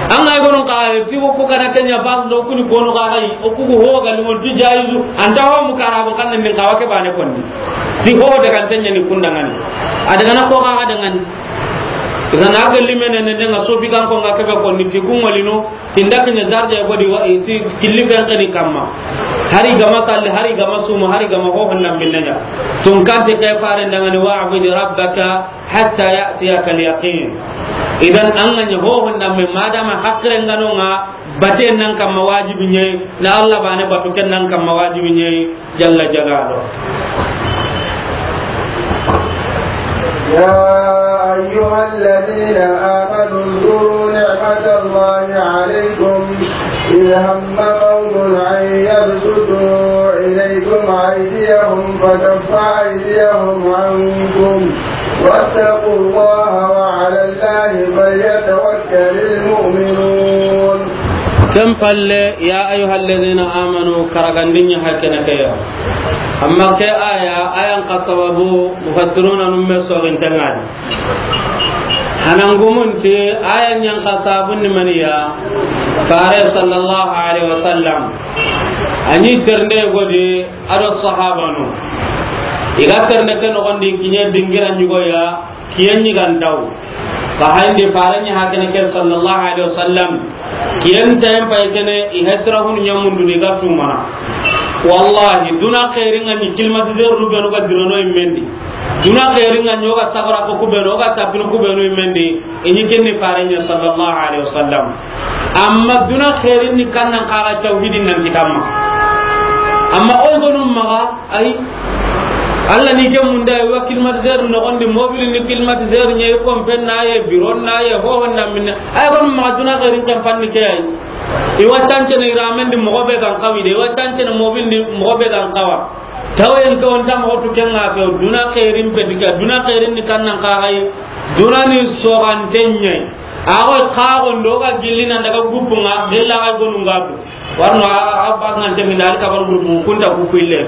An ga gonon ka ti ko kana kenya bas do kuni kono ka gai o kugu ho ga limo di jaizu anta ho mu kara bo kan min kawa ke bane konni ti ho de kan tanya ni kunda ngani ada kana ko ga ada ngani kana ga limene ne nga sofi kan ko nga ke be konni ti kun walino tinda kenya darja ko di wa ti killi kan kani kamma hari gama salli hari gama sumu hari gama ho honnan binnanya tun kan te kay fare ndangani wa abudi rabbaka hatta ya'tiyaka al-yaqin. Idan an ga ɲa ho honda me madama hakre ngano nga bate nan kamma wajibi ɲe na Allah bane batu ken nan kamma wajibi ɲe jalla jalalu. يا أيها الذين آمنوا اذكروا نعمة الله عليكم إذ هم قوم أن يبسطوا إليكم أيديهم فكف أيديهم عنكم واتقوا الله وعلى الله فليتوكل المؤمنون. Ken palle, ya ayyuhalladhina amanu, karagandinya hakene ke ya. Amma ke aya, ayan ka sababu, mufassiruna num me sogin tangani. Hanangumunti, ayan yan ka sabun ni maniya, fare sallallahu alaihi wasallam. Ani ternde godi, ado sahabanu. Iga ternde ke nogondi kiɲe dingira ɲugoya, kiyen ɲigantaw. Ka hayndi fare ɲa hakene ke sallallahu alaihi wasallam. Kiyen tayen pay kene i hesra hunu ɲamundu ni ga tumana. Wallahi, duna xeerin ŋa ni climatiseur nu benu ga dirono i mendi. Duna xeerin ŋa ni o ga sagara ko ku benu, o ga tapinu ku benu i mendi. I ni kenni fare ɲa sallallahu alaihi wasallam. Amma duna xeerin ni kannan xaga tawhidin nan kitamma. Amma o gonu maga, ay, Allah ni ke munda, wa climatiseur noxondi, mobile ni climatiseur ɲa, i kompen na ye, biron na ye, ho honda minna. Ay, gonu maga duna xeerin kan fanni ke ay. I wa tancene i ramendi moxo be gan xawi de, i wa tancene mobile ni moxo be gan xawa. Tawayen ke on ta moxo tu ken ŋa ke, duna xeerin pe diga, duna xeerin ni kannan xaga yi, duna ni soxanten ɲa yi. Ago xago ndo ga gilli nan daga guppu ŋa, gilla ga gonu ŋa tu. Warno a, a, a ba ŋa te min dal ka ban groupe kunta ku kuille.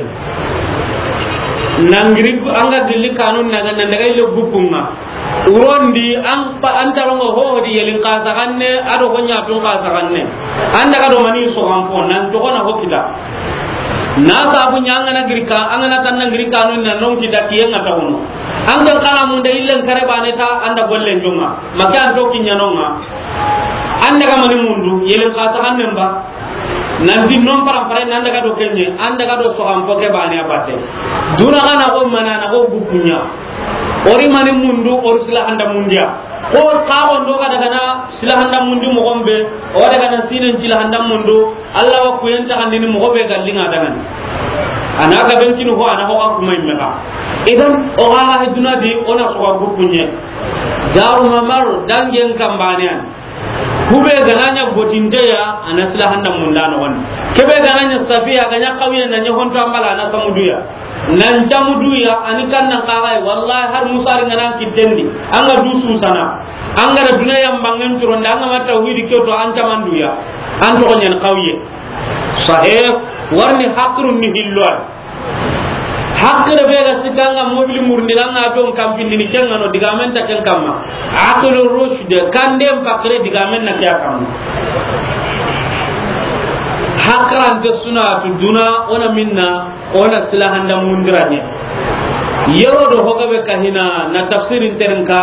Nangiri an ga gilli kanun na ga nan daga ille guppu ŋa. Urondi an pa, an tarongo ho di yelin ka saganne, ado ho ɲa tun ka saganne. An daga do mani soxan po, nan to kona ho kita. Na sabu ɲa an ga na giri ka, an ga na tan na giri kanun na non kita kiyen ŋa ta wono. An ga kala mun da illen kare bane ta, an da gollen jonga. Maka an to kiɲanonga. An daga mani mundu, yelin ka saganne ba. Nanti non param pare nan daga do kenye, an daga do soxan po ke bane a bate. Duna ga na go mana na go gupunya. Ori mani mundu, ori sila handa mundiya. Ko ka on do ga daga na sila handa mundi moxo be, o daga na sinen sila handa mundu, Allah wa kuyen ta handini moxo be gallinga daga ni. Ana ga ben kinu ho, ana ho ga kuma imeka. Idan, o ga ha duna di, ona soxa gupunye. Daru mamar, dangen kambane an. Kube ga na ɲa gotinte ya, ana sila handa munda noxon. Kebe ga na ɲa safiya, ga ɲa xawiye na ɲa honto ambala, ana samuduya. Nan camuduya, ani kannan xaxay, wallahi har musari nga nan kittendi. An ga du susana. An ga da duna yambangen turonda, an ga ma tawhidi ke to, an camanduya. An to ɲan xawiye. Sahih, warni hakrun ni hillo ay. Hakkile be ga sikka nga mobili murndi, nga na don kampindi ni, ken nga no digamen ta ken kamma. Aqlu rushd, kande pakre digamen na kiya kamma. Hakrante suna tu duna, ona minna, ona sila handa mundiranye. Yero do hoga be kahina na tafsirin terinka,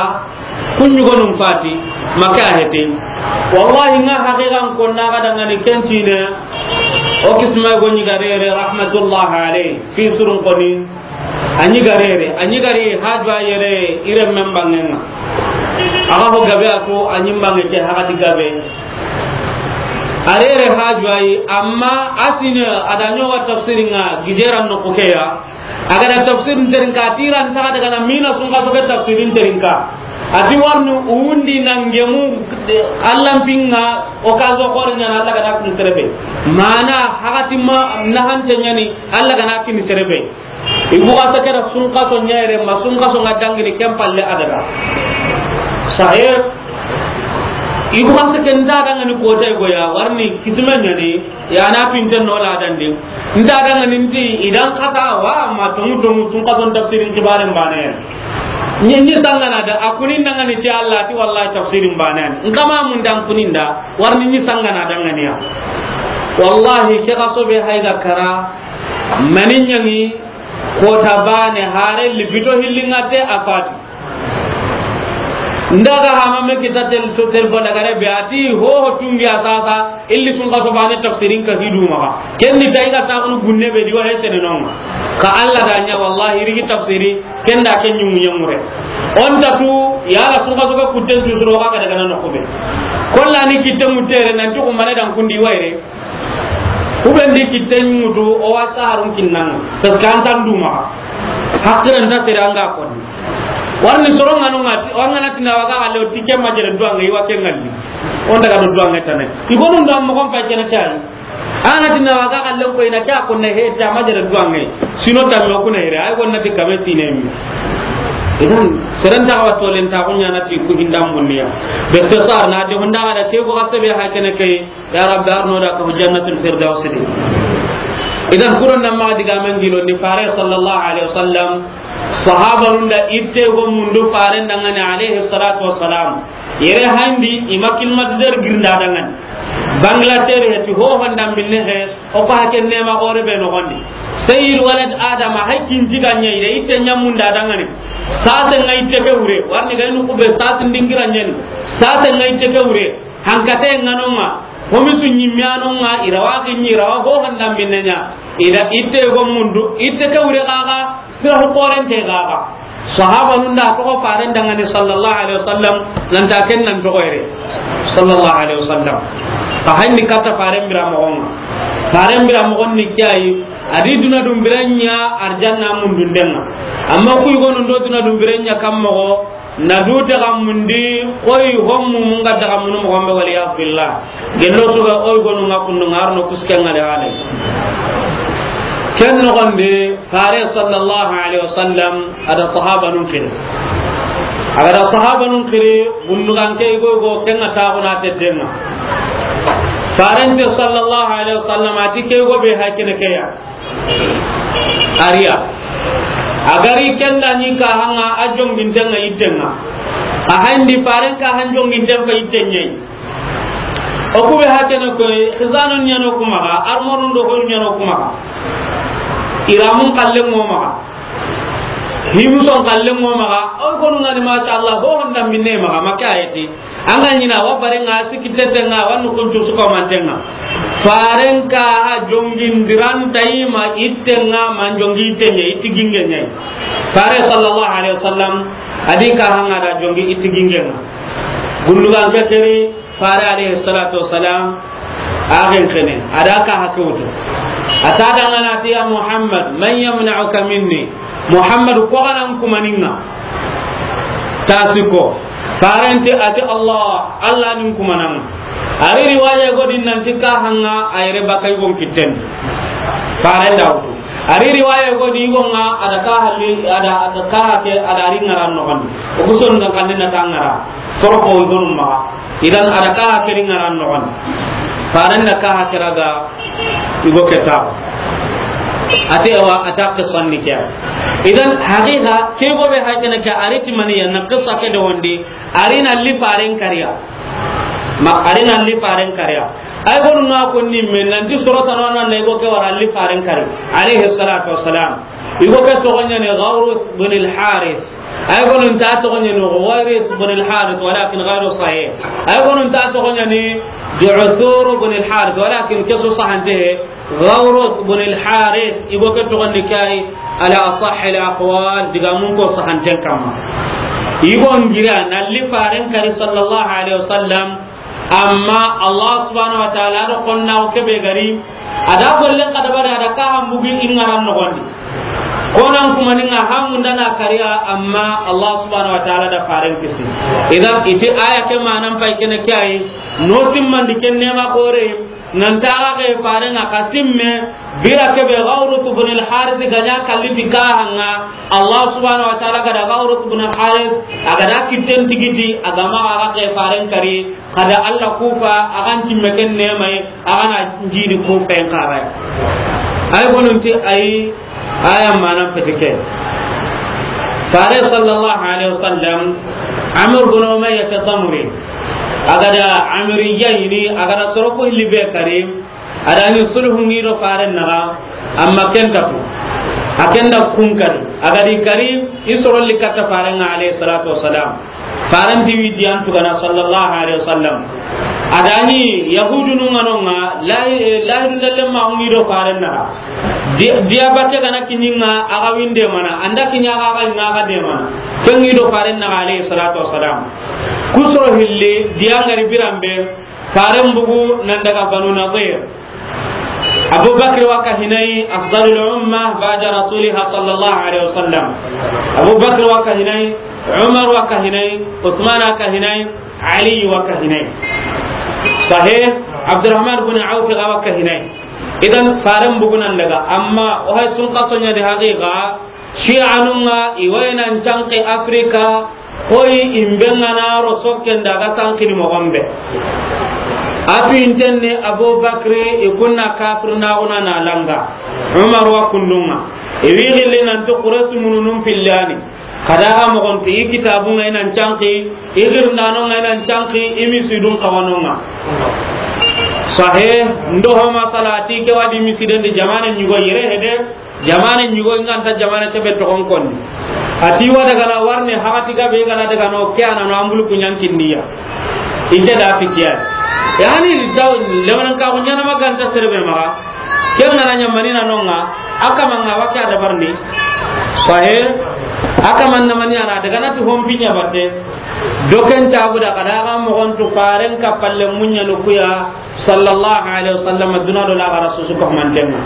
Kuɲugonun fati, maka hete. Wallahi, nga haqiqan ko na ga dangani kentine. O kisma go ɲi garere, rahmatullah alayh. Fi surun koni. Anyi garere, anyi gari hajwa yere, ire men bangenga. Aga ho gabe ako, anyi bange ke hagati gabe. Arere hajwa yi, amma asine adanyo wa tafsiringa, gijeran no kukeya. Aga da tafsirin terinka, tiran ta daga na mina sun ka soke tafsirin terinka. Ati warni undi nangemu, Allah pinga, o ka zo xore ɲana Allah ga na kin serebe. Mana hagati ma na hante ɲani Allah ga na kin serebe. Ibu ga sake da sun ka so ɲere ma sun ka so nga dangini ken palle adaga. Sahib. Ibu ga sake nda dangani ko tay goya warni kisme ɲani. Ya na pinten no la dandi. Nda danga ninti idan kata wa ma tongu tongu tun ka ton tafsirin kibaren bane. Ni, ni sangana da a kunin dangani ti Allah ti wallahi tafsirin bane. Nkama mun dan kunin da warni ni sangana dangani ya. Wallahi ke ka sobe hayga kara manin yangi ko tabane hare libito hillingate afati. Ndaga hama me kita tel to telefon daga rebe ati ho ho tungi asasa illi sun ka sobane tafsirin ka hidu maga. Ken ni tayi ga ta kunu gunne be diwa hesene non. Ka Allah da nya wallahi rigi tafsiri ken da ken nyumu nyamure. On ta tu ya la sun ka soba kutten tu suro ga daga nan ko be. Kolla ni kitten mutere nan tu ko mane dan kundi waire. Kuben di kitten mutu o wa saharun kinnan. Taskan tan duma. Hakiran ta tere anga ko. Warni soronga no ngati, o anga na tina waga galle o tike majere duwange, i wa ke ngalli. O ndaga do duwange tane. I gonu nda mo kon pa kene kay. Ana tina waga galle ko ina kya ko ne he ta majere duwange. Sino ta mo ko ne re, ay gonna ti kame tine mi. Idan, serenta wa tolen ta ko nyana ti ku hinda munniya. Be to sar na de honda da ke ko asbe ha kene kay. Ya Rabbi, arno da ko Jannatul Firdaus di. Idan, kuron nan ma diga men gilo ni fare sallallahu alaihi wasallam, sahabarun da itte go mundu fare dangane alaihi salatu wassalam. Yere handi ima climatiseur girinda dangane. Bangladesh heti ho honda minne he, o ko haken nema gore be no gondi. Sayyid walad Adama, hay kin jiga ɲa ire, itte ɲamunda dangane. Sase ŋa itte ke wure, warni ga inu kube sase ndingira ɲani. Sase ŋa itte ke wure, hankate ŋa no ŋa, homisu ɲimme a no ŋa, i ra wa xinni, i ra wa ho handa minne ɲa. I da itte go mundu, itte ke wure xaxa, sira ho korente xaxa. Sahabanun da toxo faren dangani sallallahu alaihi wasallam, nan ta ken nan toxo yere. Sallallahu alaihi wasallam. Ka hanni kata faren bira moxon ŋa. Faren bira moxon ni kiyayi, a di duna dun biren ɲa arjanna mundunden ŋa. Amma kuy gonu ndo duna dun biren ɲa kam moxo, na du daga mundi, koy hommu mun ga daga munu moxon be, wal iyaz billah. Gello su ga oy gonu ŋa kundu ŋa arno kusken ŋa le hale. Ken noxon di, fare sallallahu alaihi wasallam, a da sahabanun xiri. A ga da sahabanun xiri, gundugan ke i go i go, ken ŋa taxuna tedden ŋa. Farente sallallahu alaihi wasallam, a ti ke go be hakene ke ya. A ri ya. A ga ri ken da ni ka hanga a jonginten ŋa itten ŋa. A handi faren ka han jonginten fa itten ɲai. O kube hakene koy, xizanun ɲano kuma ga, armonun do hon ɲano kuma ga. Iramun kallen mo maga. Himuson kallen mo maga. O konu ngani, masha Allah, ho honda minne maga, make ayeti. An ga ɲina wa bare ŋa, siki tete ŋa, wa nu kuncu suko manten ŋa. Faren ka ha jongin diran tayima itten ŋa, man jongi itten ɲa, itti ginge ɲai. Fare sallallahu alaihi wasallam, a di ka hanga da jongi itti ginge ŋa. Gundugan ke keri, fare alayhi salatu wassalam, a gen kene, a da ka hake wutu. A ta dangana ti, "Ya Muhammad, man yamna'uka minni?" Muhammad, ko ganan kumaninga. Tasiko. Farenti ati, "Allah, Allah nin kumananga." Ari riwaya godin nanti ka hanga ayre bakai gon kitten. Faren da wutu. Ari riwaya godi gonga ada ka halli, ada, ada ka hake, ada ri ngaran no kan. O guson na kan na tangara. Torko gonum ma. Idan ada ka hake ri ngaran no kan. Faren da ka hake raga igo keta. Ate wa atak sanni kya. Idan haqiqa ke go be hakene ka ari timani ya na qissa ke do wondi. Ari na li faren kariya. Ma ari na li faren kariya. Ay gonu na ko ni men nan di surata no nan ne go ke wara li faren kari. Alayhi salatu wassalam. Igo ke togonya ni Gawrus bin al-Harith. Ay gonu ta togonya ni Gawrus bin al-Harith, walakin ghayru sahih. Ay gonu ta togonya ni Du'thur bin al-Harith, walakin kesu sahante. Gawrus bin al-Harith, igo ke togondi kai, ala asahhi al-aqwal, diga mun ko sahanten kamma. Igo ngira na li faren kari sallallahu alaihi wasallam, amma Allah subhanahu wa ta'ala do konna o kebe gari, ada gollen kada bari ada ka hambugi ingaran no gondi. Konan kuma ninga hamunda na kariya, amma Allah subhanahu wa ta'ala da faren kisi. Idan iti aya ke manan pai kene kai, no timmandi ken nema kore, Nan taga ke faren ŋa kasimme, bira kebe Gawrus bin al-Harith ganya kalli ti kahanga, Allah subhanahu wa ta'ala gada Gawrus bin al-Harith, agada kitten tigiti, agama aga ke faren kari, kada Allah kufa, agan timme ken nemai, agana njidi kufen karai. Ay gonunti ay Aya manan fetike. Fare sallallahu alaihi wasallam, Amr bin Umayyah Ad-Damri. Agada Amri yayini, agada soroko hilli be kari. Adani sulhu ngido faren naga, amma kentapu. Akenda kun kari. Agadi kari, isoro likatta faren ŋa alayhi salatu wassalam. Faranti wi diyan tugana sallallahu alaihi wasallam. Adani Yahudu nunga nonga, lahi-, lahidu ndelle ma hungi do faren naga. Di-, diya batte gana kinyinga aga winde mana, anda kinya aga aga inga aga de mana. Kengi do faren naga alayhi salatu wassalam. Kusoro hilli, diya ngari birambe, faren bugu nan daga Banu Nadir. Abu Bakr wa ka hinai afdalul umma ba'da rasuliha sallallahu alaihi wasallam. Abu Bakr wa ka hinai, Umar wa ka hinai, Uthman wa ka hinai, Ali wa ka hinai. Sahih, Abdurrahman bin Auf ga wa ka hinai. Idan faren bugunan daga, amma o hay sun kasonya di haqiqa, Shi'anunga i wayinan canki Afrika, koyi imbenga na ro sokken daga sankini mogonbe. Atu intenni Abu Bakri i kunna kafir na una na langa. Umar wa kundunga. I wi gilli nanti Quraysh mununun pillani. Kadaga mogonti i kitabunga inan canki, i girndanonga inan canki, i misidun kawanonga. Sahe, ndo ho masala ti ke wadi misiden di jamane nyugo yere hede, Jamane ɲugo i nganta jamane kebe toxon konni. A ti wa daga na warni, hakati ga be ga na daga no, ke a na no ambulu ku ɲa n kinniya. I ke da fitiya. Yani, taw, lemanan ka ku ɲaana ma ganta sere be maxa. Ke ga na ɲa mani na no ŋa, a kaman ŋa wa ke a dabarini. Sahe, a kaman na mani a na daga na tu hon pinya batte. Do ken ta bu da ka da ga moxon tu faren ka palle muɲa no ku ya. Sallallahu alaihi wasallam, duna do la gara susu ko mantenga.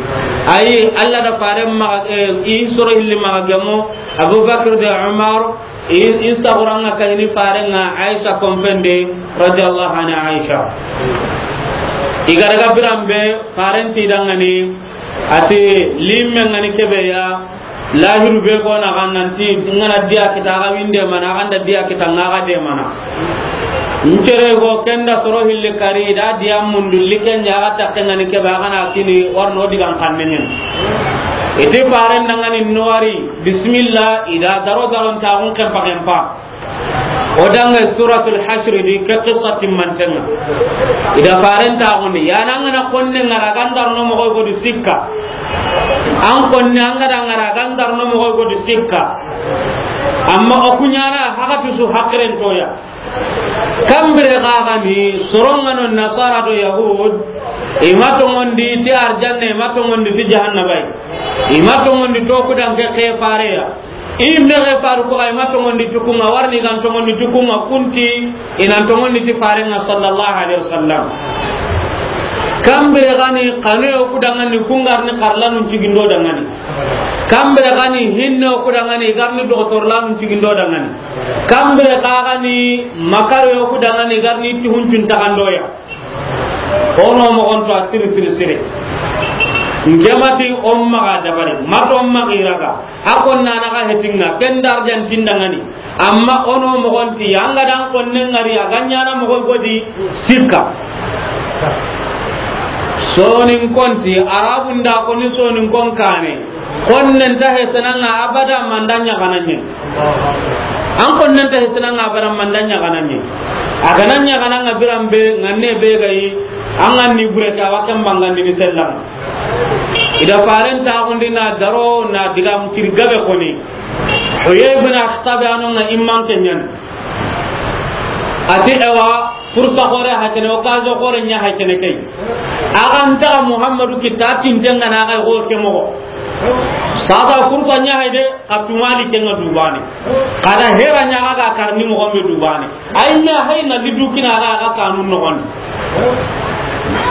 Ayi, Allah da faren ma, eh, i soro hilli ma gamo, Abu Bakr de Umar, i, i saguranga kayni farenga Aisha kompende, radiyallahu anha Aisha. I ga daga birambe, faren ti dangani, ati limme ngani kebe ya, Lahiru be ko na ga nanti, ngana diya kita ga winde mana, ga nda diya kita nga ga de mana. Ncere go kenda soro hille kari, da diya mundu like nya ga takke ngani ke ba ga na kini warno digan kannenyen. Ite faren dangani nowari, bismillah, ida daro daron ta gun kempa kempa. O danga Suratul Hashr di ke qissa timmantenga. Ida faren ta gundi, ya na ngana konne ngara gandar no mo go di sikka. An konne an ga da ngara gandar no mo go di sikka. Amma o kuɲana hakati su hakiren toya. Kambire ga ga ni soronga no nasara do yahud. I ma tongondi ti arjanne, i ma tongondi ti jahannaba. I ma tongondi to kudan ke ke fareya. I mexe faru ko ay ma tongondi tukunga, warni gan tongondi tukunga, kunti inan tongondi ti farenga sallallahu alaihi wasallam. Kambire gani kanu yo kudangani kungarni karlanun cigindo dangani. Kambire gani hinne yo kudangani garni doktor lanun cigindo dangani. Kambire gani makaro yo kudangani garni tihun cun tagandoya. Ono moxon to a siri siri siri. Ngemati o maxa dabari, mato maxa iraga. A konna na ga hetinga, ken darjan tindangani. Amma ono moxon ti, anga dan konne ngari, a ganyana moxo godi sikka. Sonin konti, Arabun da koni sonin kon kane. Konnen ta hesenanga abada mandanya gananye. An konnen ta hesenanga abada mandanya gananye. A gananya gananga birambe nganne be gayi. An ganni bure ta wakan bangandi ni sellam. Ida faren ta gundi na daro na diga mutir gabe koni. Huyay bin Akhtab anonga imman kenyan. Ati ewa, fursa xore hakene, occasion xore ɲa hakene kay. Axa nta Muhammadu kita tintenga na ga go ke moxo. Sasa fursa ɲa hayde, ka tumali kenga dubane. Kada hera ɲa ga karni moxo be dubane. Ay na hay na lidu kina ga ga kanun no gon.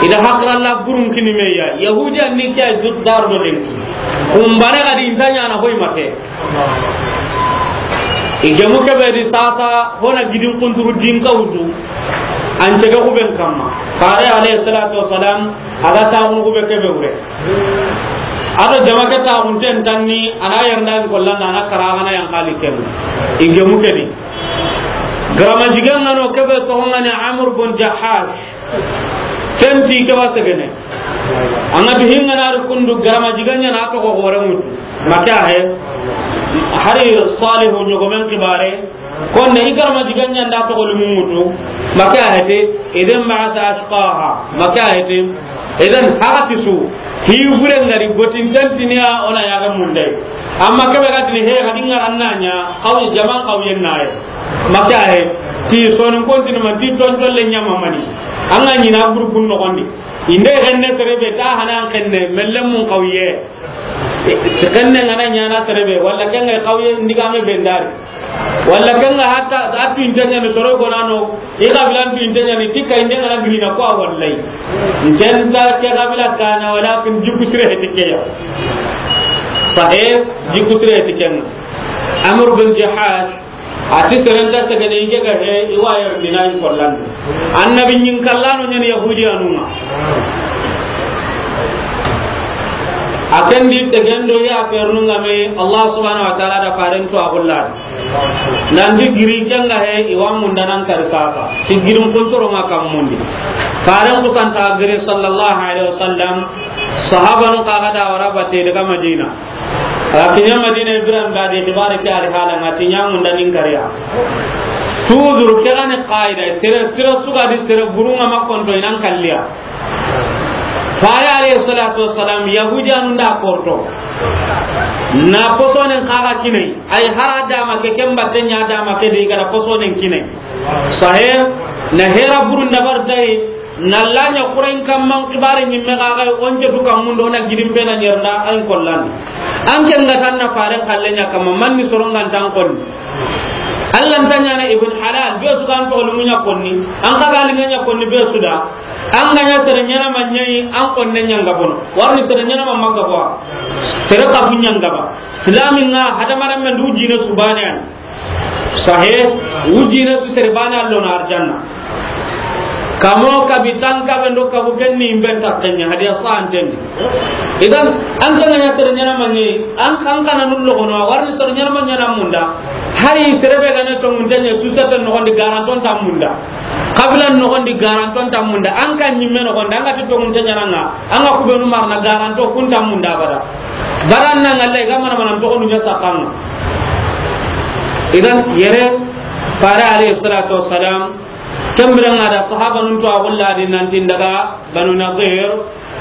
Ida hakra la burun kini meya. Yahudiya ni kay dut dar do den. Kumbane ga di intanya na hoy mate. I gemu kebe di sasa, hona gidin kunturu din ka wutu. An tege ku ben kamma. Fare alayhi salatu wassalam, ala ta hunu ku be kebe wure. Ado jama ke ta hun ten tanni, ana yarnda ko langa na kara ana yan kali kem. I gemu kebe. Garama jigan ngano kebe to ngani Amr bin Jahash. Ken ti ke wa segene. Anga du hinga na ru kundu garama jiganya na to ko gore mutu. Maka he. Hari Salihu ɲogomen kibare. Konne i garama jiganya nda to ko lumu mutu. Maka he te. Idan ba'atha ashqaha. Maka he te. Idan haqati su. Hi bure ngari gotin tantiniya ona ya ga mundai. Amma kebe ga tini he ga dinga annanya. Qawi jaman qawiyen naye. Maka he, ti sonin kontinu ma, ti tontolle ɲama mani. An ga ɲina gurgun noxondi. Inde xenne serebe ta hana an xenne, melle mun xawiye. Ti xenne ngana ɲana serebe, walla kenge xawiye ndigame bendari. Walla kenge hatta, atu intenya ni soro gonano, i xabila tu intenya ni, tikka inde ngana birina ko wallay. Intenta ke xabila kana, walakin jikku sire he tikkeya. Sahe, jikku sire he tikkenga. Amr bin Jahash, Ati serenta segene ike ga he, i wa yar mina i kollan. Annabi ɲin kallano ɲani Yahudi anunga. A ken di tegendo ya fernunga me Allah subhanahu wa ta'ala da faren to agulla. Nan di giri kenga he, i wa mundanan kar sasa. Ti girin kuntoro nga kam mundi. Faren kusanta giri sallallahu alaihi wasallam. Sahabanu kaga da wara bate daga Madina. A kiɲa Madina, Ibrahim ga di xibaare ke ari hala nga ti ɲamu nda nin kariya. Toujours ke gani qaida, sere, sere suga di sere burunga makonto inan kalliya. Fare alayhi salatu wassalam, Yahudiyanun da korto. Na posonen kaga kinai, ay hara dama ke kemba tenya dama ke de gara posonen kinai. Sahe, na hera burun dabar dai, na lanya Qur'an kamman kibare nyimme kaga onje duka mundo na gidim bena nyerda ay kollan. An ke ngatan na faren kallenya kama manni sorongan tan kon. Allah ntanya na ibn halal, be su kan to lumunya konni. An kaga linya konni be su da. An ga ɲa sere ɲana ma ɲayi, an konne ɲanga bono. Warni sere ɲana ma manga bo. Sere ka bu ɲanga ba. Islamin ŋa hadamarenmen du jine su bane an. Sahe, u jine su sere bane an lo na arjanna. Kamo kabi tan kabe ndo kabu kenni imben takkenya hadiya santen. Idan, an ga ɲa sere ɲana ma ɲayi, an kan kana nullo gono, warni sere ɲana ma ɲana munda. Hari sere be gane to mun tanya su sa tan no gondi garanton ta munda. Kabila noxondi garanton ta munda, an ka ɲimme noxondi, an ga ti toxunte ɲananga, an ga kubenu marna garanto kun ta munda abada. Baran na ngalle ga mana mana toxonu ɲa sakanga. Idan yere fare alayhi salatu wassalam, kembira nga da sahaba nun to a gulla di nanti daga Banu Nadir,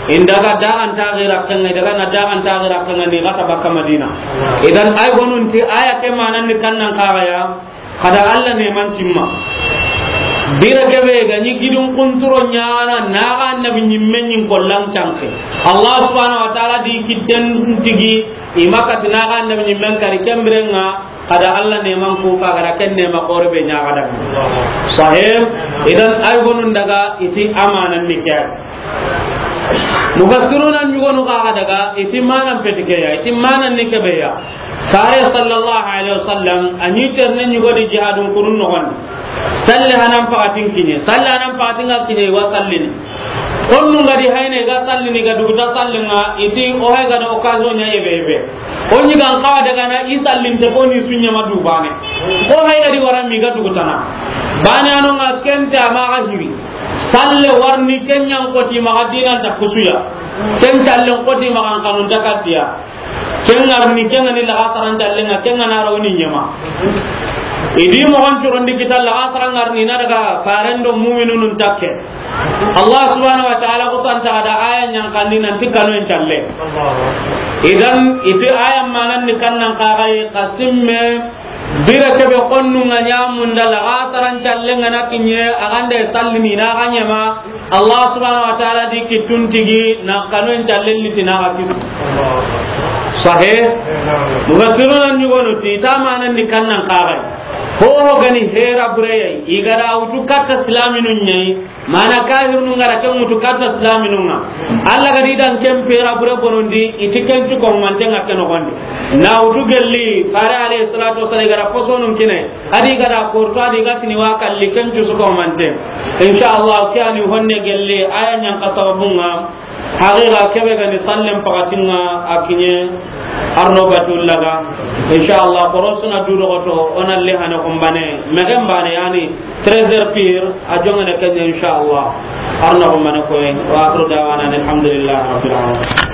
indaga dagan ta gira kanga, daga na dagan ta gira kanga ni gata baka Madina. Idan ay gonun ti aya ke manan ni kannan kagaya, Kada Allah neman timma. Bira kebe ga ni gidun kunturo ɲana, naga annabi ɲimme ɲin kollan canke. Allah subhanahu wa ta'ala di kitten tigi, imaka ti naga annabi ɲimmen kari kembirenga, kada Allah neman ku ka gara ken nema kore be ɲaga da. Sahih, idan ay gonun daga iti amanan ni kya. Mufassiruna ɲugonu kaga daga, iti manan petikeya, iti manan ni kebeya. Fare sallallahu alaihi wasallam, a ɲi terne ɲugodi jihadun kurun noxondi. Salle hanan pakatin kiɲe, salle hanan pakatin ga kiɲe, wa sallini. Konnu ngadi hayne ga sallini ga duguta sallinga, iti o hay gada occasion ɲa yebe yebe. O ɲi gan kawa daga na i sallinte ko ni sunya ma dubane. Ko hay gadi wara mi ga dugutana. Bane anonga kenta ma ga hiri. Salle warni kenyan koti maga dinan ta kusuya. Ken sallen koti maga kanun ta katiya. Ken ngarni ken ni laga saran sallen nga ken na rawni ɲama. Idi mo on curondi kita laga saran ngarni na daga farendo mu'minun takke. Allah subhanahu wa ta'ala ko santa da aya ɲan kandi nan tikkano en salle. Idan iti aya manan ni kannan kagai kasimme. Bira kebe konnu nga ɲamunda laga saran sallen nga na kiɲe, agande sallini na ga ɲama. Allah subhanahu wa ta'ala di kitun tigi na kanu en sallen liti na ga kitu. Sahih. Mufassiruna ɲugonu ti tamanan ni kannan kagai. Ho ho gani hera bureyai, igara utu katta islaminun ɲayi. Mana kafirnu ngara ke mutu katta islaminun nga. Allah gadi dan ken pera bure bonondi, iti ken tu ko mante nga ken noxondi. Na utu gelli, fare alayhi salatu wasallam gara posonun kine. Adi gada korto adi gatini wa kalli ken tu su ko mante. Insha Allah, kiyani honne gelli, aya ɲan ka sababunga. Haqiqa kebe gani sallen pakatinga a kiɲe. Arno batullaga. Insha Allah, korosuna du dogoto, ona le hane kumbane, megen bane yani, treize heures pire, a jongene kenya insha Allah. Arno kumbane koy, wa akhiru dawana alhamdulillahi rabbil alamin.